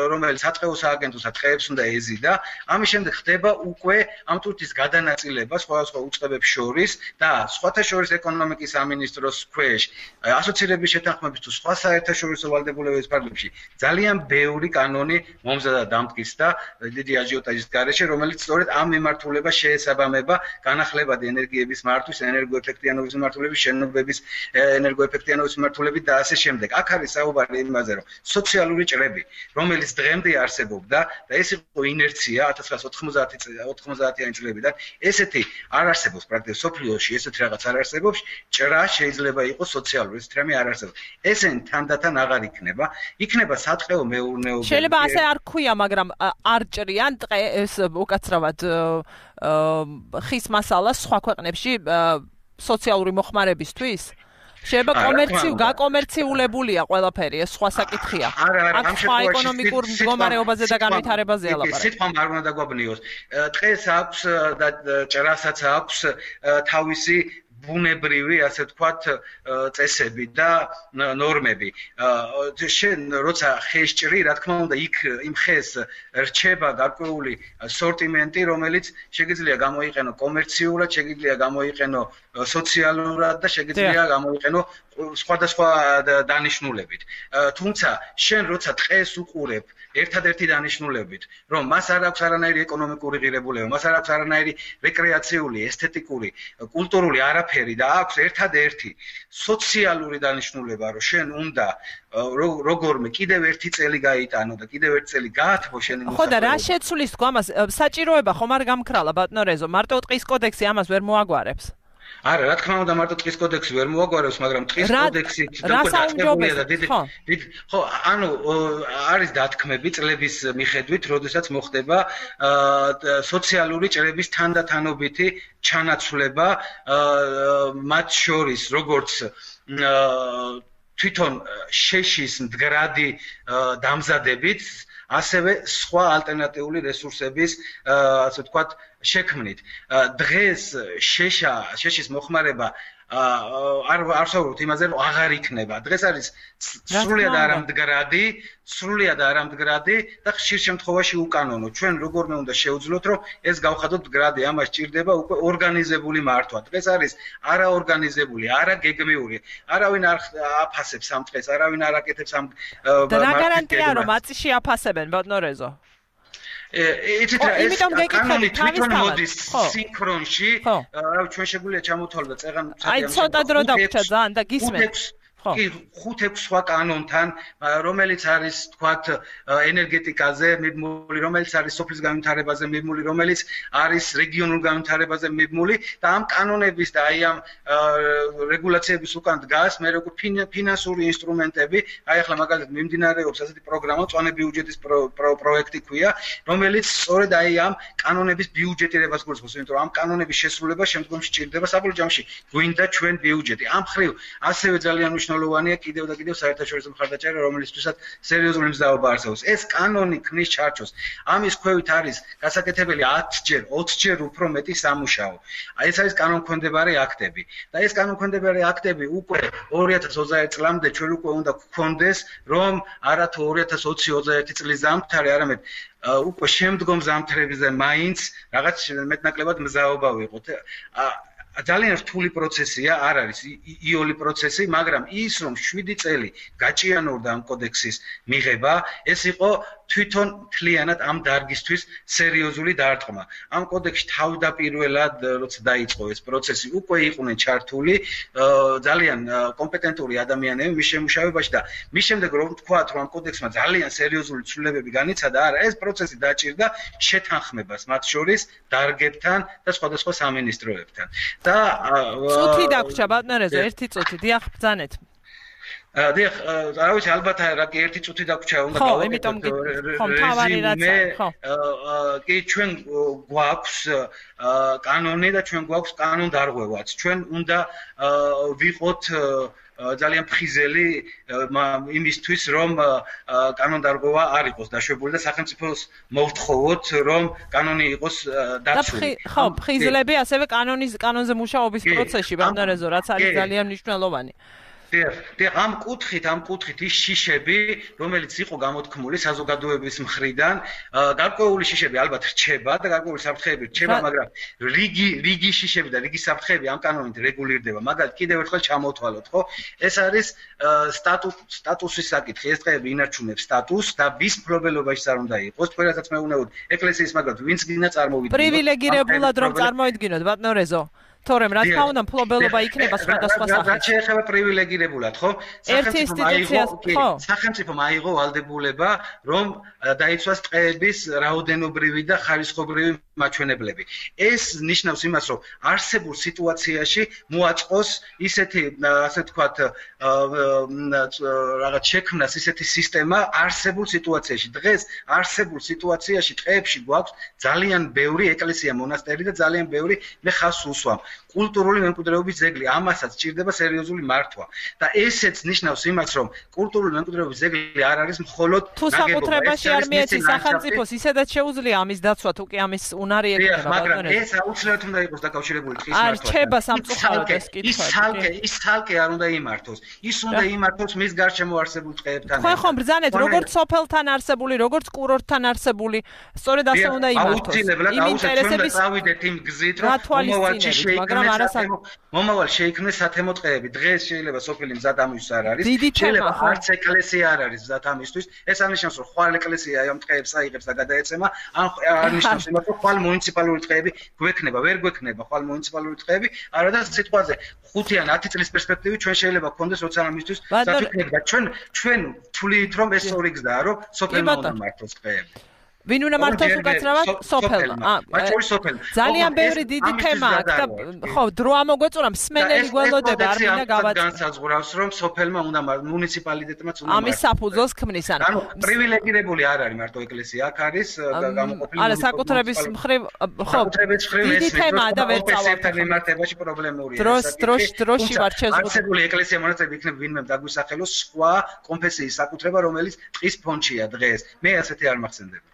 რომელიც საწყეო სააგენტოსა ტყეებს უნდა ეზიდა, ამის შემდეგ ხდება უკვე ამ ტვირთის გადანაწილება სხვადასხვა უწყებებს შორის და სხვათა შორის ეკონომიკის სამინისტროს ქვეშ, ასოცირების შეთანხმების თუ სხვა საერთაშორისო ვალდებულებების ფარგლებში ძალიან ბევრი კანონი მომზადა დამტკის და დიდი აჟიოტაჟის გარეშე, რომელიც სწორედ ამ მიმართულებას შეესაბამება განახლებადი ენერგიების მართვის, ენერგოეფექტивности ეფექტიანობის მიმართულების, შენობების ენერგოეფექტიანობის მიმართულებით და ასე შემდეგ. აქ არის საუბარი იმაზე, რომ სოციალური ჭრები, რომელიც დღემდე არსებობდა და ეს იყო ინერცია ათას ცხრაასი ოთხმოცდაათიანი წლებიდან, ესეთი არ არსებობს პრაქტიკულად სოფლიოში, ესეთი რაღაც არ არსებობს, ჭრა შეიძლება იყოს სოციალური, ესეთი რამე არ არსებობს. ესენი თანდათან აღარ იქნება, იქნება სატყეო მეურნეობა. შეიძლება ასე არ ქვია, მაგრამ არ ჭრიან ტყე ეს უკაცრავად ხის მასალა სხვა ქვეყნებში სოციალური მოხმარებისთვის? შეიძლება კომერციულ, გაკომერციულებულია ყველაფერი, ეს სხვა საკითხია. ამ სხვა ეკონომიკურ მდგომარეობაზე და განვითარებაზეა ლაპარაკი. სიტყვამ არ უნდა დაგვაბნიოს. ტყეს აქვს და ჭრასაც აქვს თავისი ბუნებრივი, ასე ვთქვათ, წესები და ნორმები. შენ როცა ხეს ჭრი, რა თქმა უნდა, იქ იმ ხეს რჩება გარკვეული სორტიმენტი, რომელიც შეგიძლია გამოიყენო კომერციულად, შეგიძლია გამოიყენო სოციალურად და შეგიძლია გამოიყენო სხვადასხვა დანიშნულებით. თუმცა შენ როცა ტყეს უყურებ ერთადერთი დანიშნულებით, რომ მას არ აქვს არანაირი ეკონომიკური ღირებულება, მას არ აქვს არანაირი რეკრეაციული, ესთეტიკური, კულტურული არაფერი და აქვს ერთადერთი სოციალური დანიშნულება, რომ შენ უნდა როგორმე კიდევ ერთი წელი გაიტანო და კიდევ ერთი წელი გაათბო შენი მოსახლეობა. ხო და რა შეცვლის თქო ამას? საჭიროება ხომ არ გამქრალა ბატონო რეზო, მარტო ტყის კოდექსი ამას ვერ მოაგვარებს? არა, რა თქმა უნდა, მარტო ტყის კოდექსი ვერ მოაგვარებს, მაგრამ ტყის კოდექსი დაწყებულია და დიდი ხო, ანუ არის დათქმები წლების მიხედვით, როდესაც მოხდება სოციალური ჭრების თანდათანობითი ჩანაცვლება მათ შორის, როგორც თვითონ შეშის მდგრადი დამზადებით, ასევე სხვა ალტერნატიული რესურსების, ასე ვთქვათ, შექმნით. დღეს შეშა, შეშის მოხმარება არ არ ვსაუბრობთ იმაზე, რომ აღარ იქნება. დღეს არის სრულიად არამდგრადი, სრულიად არამდგრადი და ხშირ შემთხვევაში უკანონო. ჩვენ როგორმე უნდა შევძლოთ, რომ ეს გავხადოთ მდგრადი, ამას ჭირდება უკვე ორგანიზებული მართვა. დღეს არის არაორგანიზებული, არაგეგმიური, არავინ არ აფასებს ამ დღეს, არავინ არ აკეთებს ამ და რა გარანტია რომ აწიში აფასებენ ბატონო რეზო? იცით რა ეს კანონი თვითონ მოდის სინქრონში, რა ჩვენ შეგვიძლია ჩამოთვალოთ და წეღან აი ცოტა დრო დაგვრჩა ძალიან და გისმენთ. კი ხუთ ექვს სხვა კანონთან, რომელიც არის თქვათ ენერგეტიკაზე მიბმული, რომელიც არის სოფლის განვითარებაზე მიბმული, რომელიც არის რეგიონულ განვითარებაზე მიბმული და ამ კანონების და აი ამ რეგულაციების უკან დგას მე როგორ ფინანსური ინსტრუმენტები, აი ახლა მაგალითად მიმდინარეობს ასეთი პროგრამა, წვანე ბიუჯეტის პროექტი ქვია, რომელიც სწორედ აი ამ კანონების ბიუჯეტირებას გულისხმობს, იმიტომ რომ ამ კანონების შესრულება შემდგომში ჭირდება საბოლოო ჯამში გვინდა ჩვენ ბიუჯეტი. ამ ხრივ ასევე ძალიან მნიშვნელოვანია კიდევ და კიდევ საერთაშორისო მხარდაჭერა, რომელიცთვისაც სერიოზული მზაობა არსებობს. ეს კანონი ქმნის ჩარჩოს. ამის ქვევით არის გასაკეთებელი ათჯერ, ოცჯერ უფრო მეტი სამუშაო. აი ეს არის კანონქვემდებარე აქტები. და ეს კანონქვემდებარე აქტები უკვე ორი ათას ოცდაერთი წლამდე ჩვენ უკვე უნდა გქონდეს, რომ არა თუ ორი ათას ოცი ოცდაერთი წლის ზამთარი, არამედ უკვე შემდგომ ზამთრებზე მაინც რაღაც მეტნაკლებად მზაობა ვიყოთ. ძალიან რთული პროცესია, არ არის იოლი პროცესი, მაგრამ ის რომ შვიდი წელი გაჭიანურდა ამ კოდექსის მიღება, ეს იყო თვითონ მთლიანად ამ დარგისთვის სერიოზული დარტყმა. ამ კოდექსში თავდაპირველად როცა დაიწყო ეს პროცესი, უკვე იყვნენ ჩართული ძალიან კომპეტენტური ადამიანები მის შემუშავებაში და მის შემდეგ რომ ვთქვათ, რომ ამ კოდექსმა ძალიან სერიოზული ცვლილებები განიცადა, არა, ეს პროცესი დაჭირდა შეთანხმებას მათ შორის დარგებთან და სხვადასხვა სამინისტროებთან. და წუთი დაგვრჩა ბატონო, ერთი წუთი, დიახ, ბრძანეთ. დიახ, რა ვიცი, ალბათ რა კი ერთი წუთი დაგვრჩა, უნდა გავაკეთოთ. ხო, თავარი რაცა, ხო. კი, ჩვენ გვაქვს კანონი და ჩვენ გვაქვს კანონდარღვევაც. ჩვენ უნდა ვიყოთ ძალიან ფხიზელი იმისთვის, რომ კანონდარღვევა არ იყოს დაშვებული და სახელმწიფოს მოვთხოვოთ, რომ კანონი იყოს დაცული. ხო, ფხიზლები ასევე კანონის კანონზე მუშაობის პროცესში, ბატონო, რაც არის ძალიან მნიშვნელოვანი. დიახ, ამ კუთხით, ამ კუთხით ის შიშები, რომელიც იყო გამოთქმული საზოგადოების მხრიდან, გარკვეული შიშები ალბათ რჩება და გარკვეული საფრთხეები რჩება, მაგრამ რიგი რიგი შიშები და რიგი საფრთხეები ამ კანონით რეგულირდება. მაგალითად, კიდევ ერთხელ ჩამოვთვალოთ, ხო? ეს არის სტატუსის საკითხი. ეს დღეები ინარჩუნებს სტატუსს და ვის მფლობელობაში არ უნდა იყოს. თქვენ რასაც მეუბნებოდ, ეკლესიის მაგალითად, ვინც გინდა წარმოვიდგინოთ. პრივილეგირებულად რომ წარმოიდგინოთ, ბატონო რეზო. თორემ რა თქმა უნდა მფლობელობა იქნება სხვადასხვა სახის. რაც შეეხება პრივილეგირებულად, ხო? სახელმწიფომ აიღო ვალდებულება, რომ დაიცვას ტყეების რაოდენობრივი და ხარისხობრივი მაჩვენებლები. ეს ნიშნავს იმას, რომ არსებულ სიტუაციაში მოაწყოს ისეთი, ასე ვთქვათ, რაღაც შექმნას ისეთი სისტემა არსებულ სიტუაციაში. დღეს არსებულ სიტუაციაში ტყეებში გვაქვს ძალიან ბევრი ეკლესია, მონასტერი და ძალიან ბევრი მე ხაზს უსვამ. კულტურული მემკვიდრეობის ძეგლი, ამასაც ჭირდება სერიოზული მართვა. და ესეც ნიშნავს იმას, რომ კულტურული მემკვიდრეობის ძეგლი არ არის მხოლოდ თუ საკუთრებაში არ მიეცის სახელმწიფოს, ისედაც შეუძლია ამის დაცვა, თუ კი ამის უნარი ექნება, მაგრამ ეს აუცილებლად უნდა იყოს დაკავშირებული ტყის მართვასთან. არ რჩება სამწუხაროდ ეს კითხვა. ის ცალკე, ის ცალკე არ უნდა იმართოს. ის უნდა იმართოს მის გარშემო არსებულ ტყეებთან. ხო, ხო, ბრძანეთ, როგორც სოფელთან არსებული, როგორც კურორტთან არსებული, სწორედ ასე უნდა იმართოს. იმ ინტერესების წავიდეთ იმ გზით, რომ მომავალში შეიქმნას მომავალ შეიქმნეს სათემო ტყეები. დღეს შეიძლება სოფელი მზად ამისთვის არ არის. შეიძლება არც ეკლესია არ არის მზად ამისთვის. ეს არნიშნავს, რომ ხვალ ეკლესია ამ ტყეებს აიღებს და გადაეცემა, ან არნიშნავს იმას, რომ ხვალ მუნიციპალური ტყეები გვექნება, ვერ გვექნება ხვალ მუნიციპალური ტყეები, არადა სიტყვაზე ხუთი ან ათი წლის პერსპექტივით ჩვენ შეიძლება გქონდეს როცა ამისთვის საფიქრება. ჩვენ ჩვენ თვლით, რომ ეს ორი გზაა, რომ სოფელმა უნდა მართოს ტყეები. ვინ უნდა მართოს უკაცრავად სოფელმა? ძალიან ბევრი დიდი თემა აქვს და ხო, დრო ამოგვეწურა, მსმენელი გველოდება, არ მინდა გავაწყო. განსაზღვრავს, რომ სოფელმა უნდა მუნიციპალიტეტმაც უნდა ამის საფუძველს ქმნის, ანუ პრივილეგირებული არ არის მარტო ეკლესია, აქ არის გამოყოფილი. არა, საკუთრების მხრივ, ხო, დიდი თემაა და ვერ წავალთ. მიმართებაში პრობლემურია. დროს დროს დროში ვარ შეზღუდული. არსებული ეკლესია მონასტრები იქნება ვინმე დაგვისახელოს სხვა კონფესიის საკუთრება, რომელიც ტყის ფონდშია დღეს. მე ასეთი არ მახსენდება.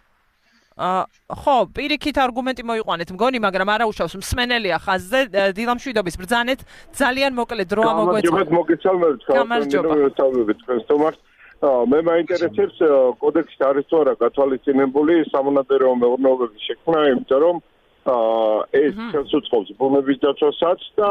ხო, პირიქით არგუმენტი მოიყვანეთ, მგონი, მაგრამ არა უშავს, მსმენელია ხაზზე, დილამშვიდობის ბრძანეთ, ძალიან მოკლედ დრო ამოგვეწურა. მოგესალმებით, გამარჯობა თქვენს თომარს. მე მაინტერესებს კოდექსში არის თუ არა გათვალისწინებული სამონადირეო მეურნეობების შექმნა, იმიტომ რომ ეს ხელს უწყობს ბუნების დაცვასაც და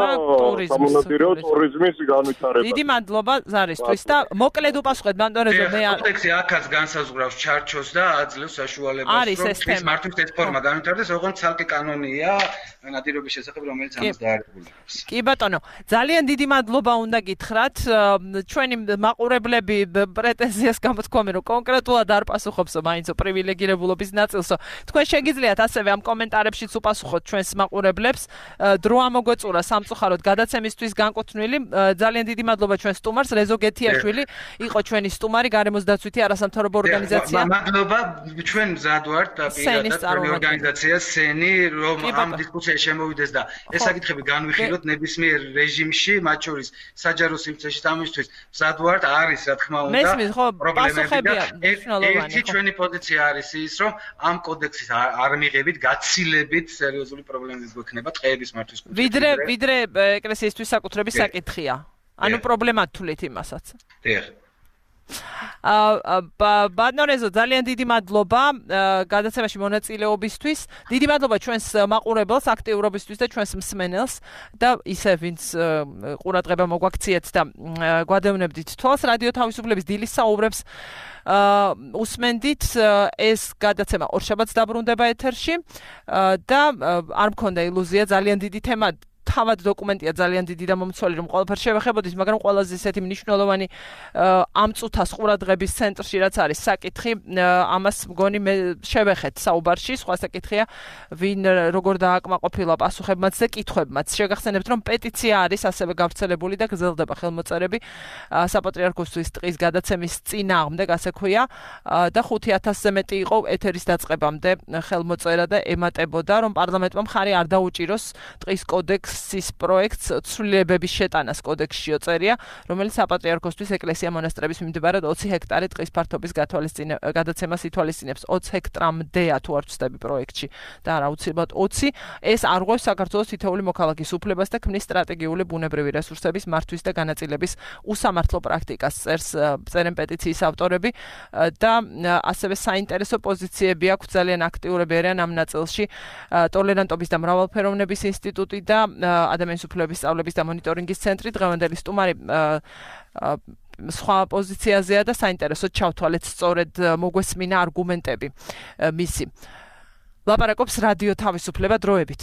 სამონადირო ტურიზმის განვითარებას. დიდი მადლობა ზარისთვის და მოკლედ უპასუხეთ ბანტორეზო მე კოდექსი აქაც განსაზღვრავს ჩარჩოს და აძლევს საშუალებას რომ ეს მართლის ეს ფორმა განვითარდეს, ოღონდ ცალკე კანონია ნადირობის შესახებ, რომელიც ამას დაარღვევს. კი ბატონო, ძალიან დიდი მადლობა უნდა გითხრათ. ჩვენი მაყურებლები პრეტენზიას გამოთქვამენ, რომ კონკრეტულად არ პასუხობსო მაინცო პრივილეგირებულობის ნაწილსო. თქვენ შეგიძლიათ ასევე ამ კომენტარებშიც უპასუხოთ ჩვენს მაყურებლებს. დრო ამოგვეწურა სამწუხაროდ გადაცემისთვის განკუთვნილი. ძალიან დიდი მადლობა ჩვენ სტუმარს რეზო გეთიაშვილი იყო ჩვენი სტუმარი გარემოს დაცვითი არასამთავრობო ორგანიზაცია. მადლობა ჩვენ მზად ვართ და პირადად ჩვენი ორგანიზაცია სენი რომ ამ დისკუსიაში შემოვიდეს და ეს საკითხები განვიხილოთ ნებისმიერ რეჟიმში, მათ შორის საჯარო სიმწეში ამისთვის მზად ვართ, არის რა თქმა უნდა პრობლემები და ერთი ჩვენი პოზიცია არის ის რომ ამ კოდექსის არ მიღებით გაცილებით სერიოზული პრობლემები გვექნება ტყეების მართვის კუთხით. ვიდრე ვიდრე ეკლესიისთვის საკუთრების საკითხია. ანუ პრობლემა თulit იმასაც. დიახ. აა ბანორეზო ძალიან დიდი მადლობა გადაცემაში მონაწილეობისთვის. დიდი მადლობა ჩვენს მაყურებელს აქტიურობისთვის და ჩვენს მსმენელს და ისე ვინც ყურადღება მოგვაქციეთ და გვადევნებდით თვალს რადიო თავისუფლების დილის საუბრებს უსმენდით. ეს გადაცემა ორშაბათს დაბრუნდება ეთერში და არ მქონდა ილუზია ძალიან დიდი თემა თავად დოკუმენტია ძალიან დიდი და მომცველი რომ ყველაფერს შევეხებოდით, მაგრამ ყველაზე ისეთი მნიშვნელოვანი ამ წუთას ყურადღების ცენტრში რაც არის საკითხი, ამას მგონი მე შევეხეთ საუბარში, სხვა საკითხია ვინ როგორ დააკმაყოფილა პასუხებმაც და კითხვებმაც. შეგახსენებთ რომ პეტიცია არის ასევე გავრცელებული და გრძელდება ხელმოწერები საპატრიარქოსთვის ტყის გადაცემის წინააღმდეგ, ასე ქვია და ხუთი ათასზე მეტი იყო ეთერის დაწყებამდე ხელმოწერა და ემატებოდა რომ პარლამენტმა მხარი არ დაუჭიროს ტყის კოდექს ის პროექტს ცვლილებების შეტანას კოდექსში იწერია, რომელიც საპატრიარქოსთვის ეკლესია მონასტრების მიმდებარედ ოცი ჰექტარი ტყის ფართობის გადაცემას ითვალისწინებს. ოცი ჰექტრამდეა თუ არ ვცდები პროექტში და არა აუცილებლად ოცი. ეს არღვევს საქართველოს თითოეული მოქალაქის უფლებას და ქმნის სტრატეგიული ბუნებრივი რესურსების მართვის და განაწილების უსამართლო პრაქტიკას. წერს წერენ პეტიციის ავტორები და ასევე საინტერესო პოზიციები აქვს ძალიან აქტიურები არიან ამ ნაწილში ტოლერანტობის და მრავალფეროვნების ინსტიტუტი და ადამიანის უფლებების სწავლების და მონიტორინგის ცენტრი. დღევანდელი სტუმარი სხვა პოზიციაზეა და საინტერესოდ ჩავთვალეთ სწორედ მოგვესმინა არგუმენტები მისი. ლაპარაკობს რადიო თავისუფლება დროებით.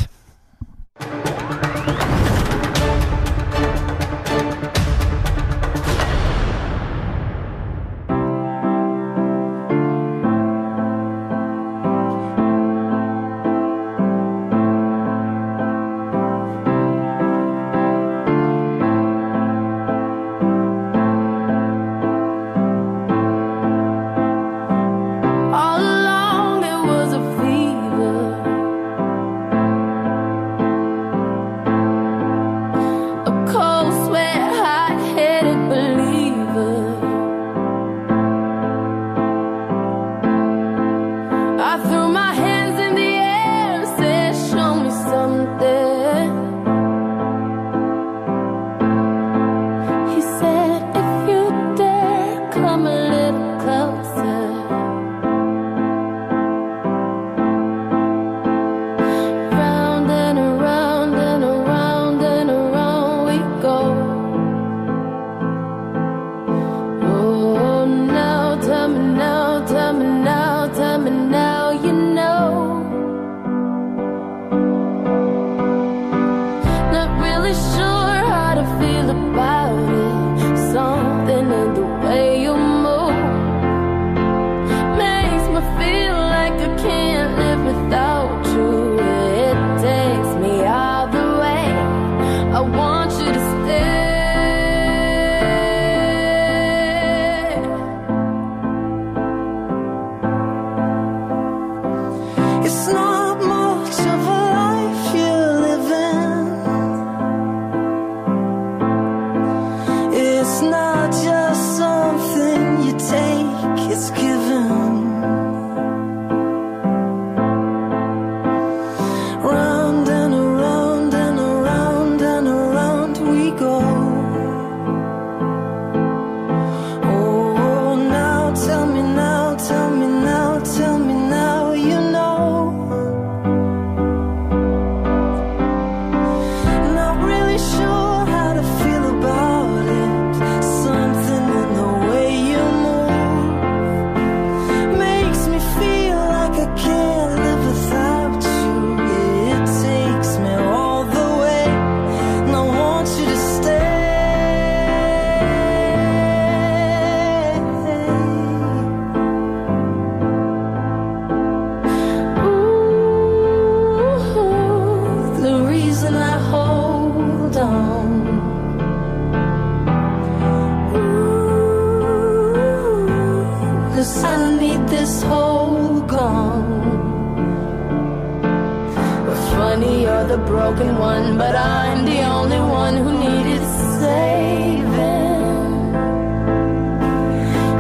broken one, but I'm the only one who needed saving.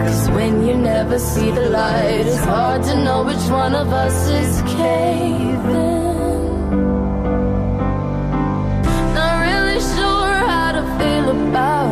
Cause when you never see the light, it's hard to know which one of us is caving. Not really sure how to feel about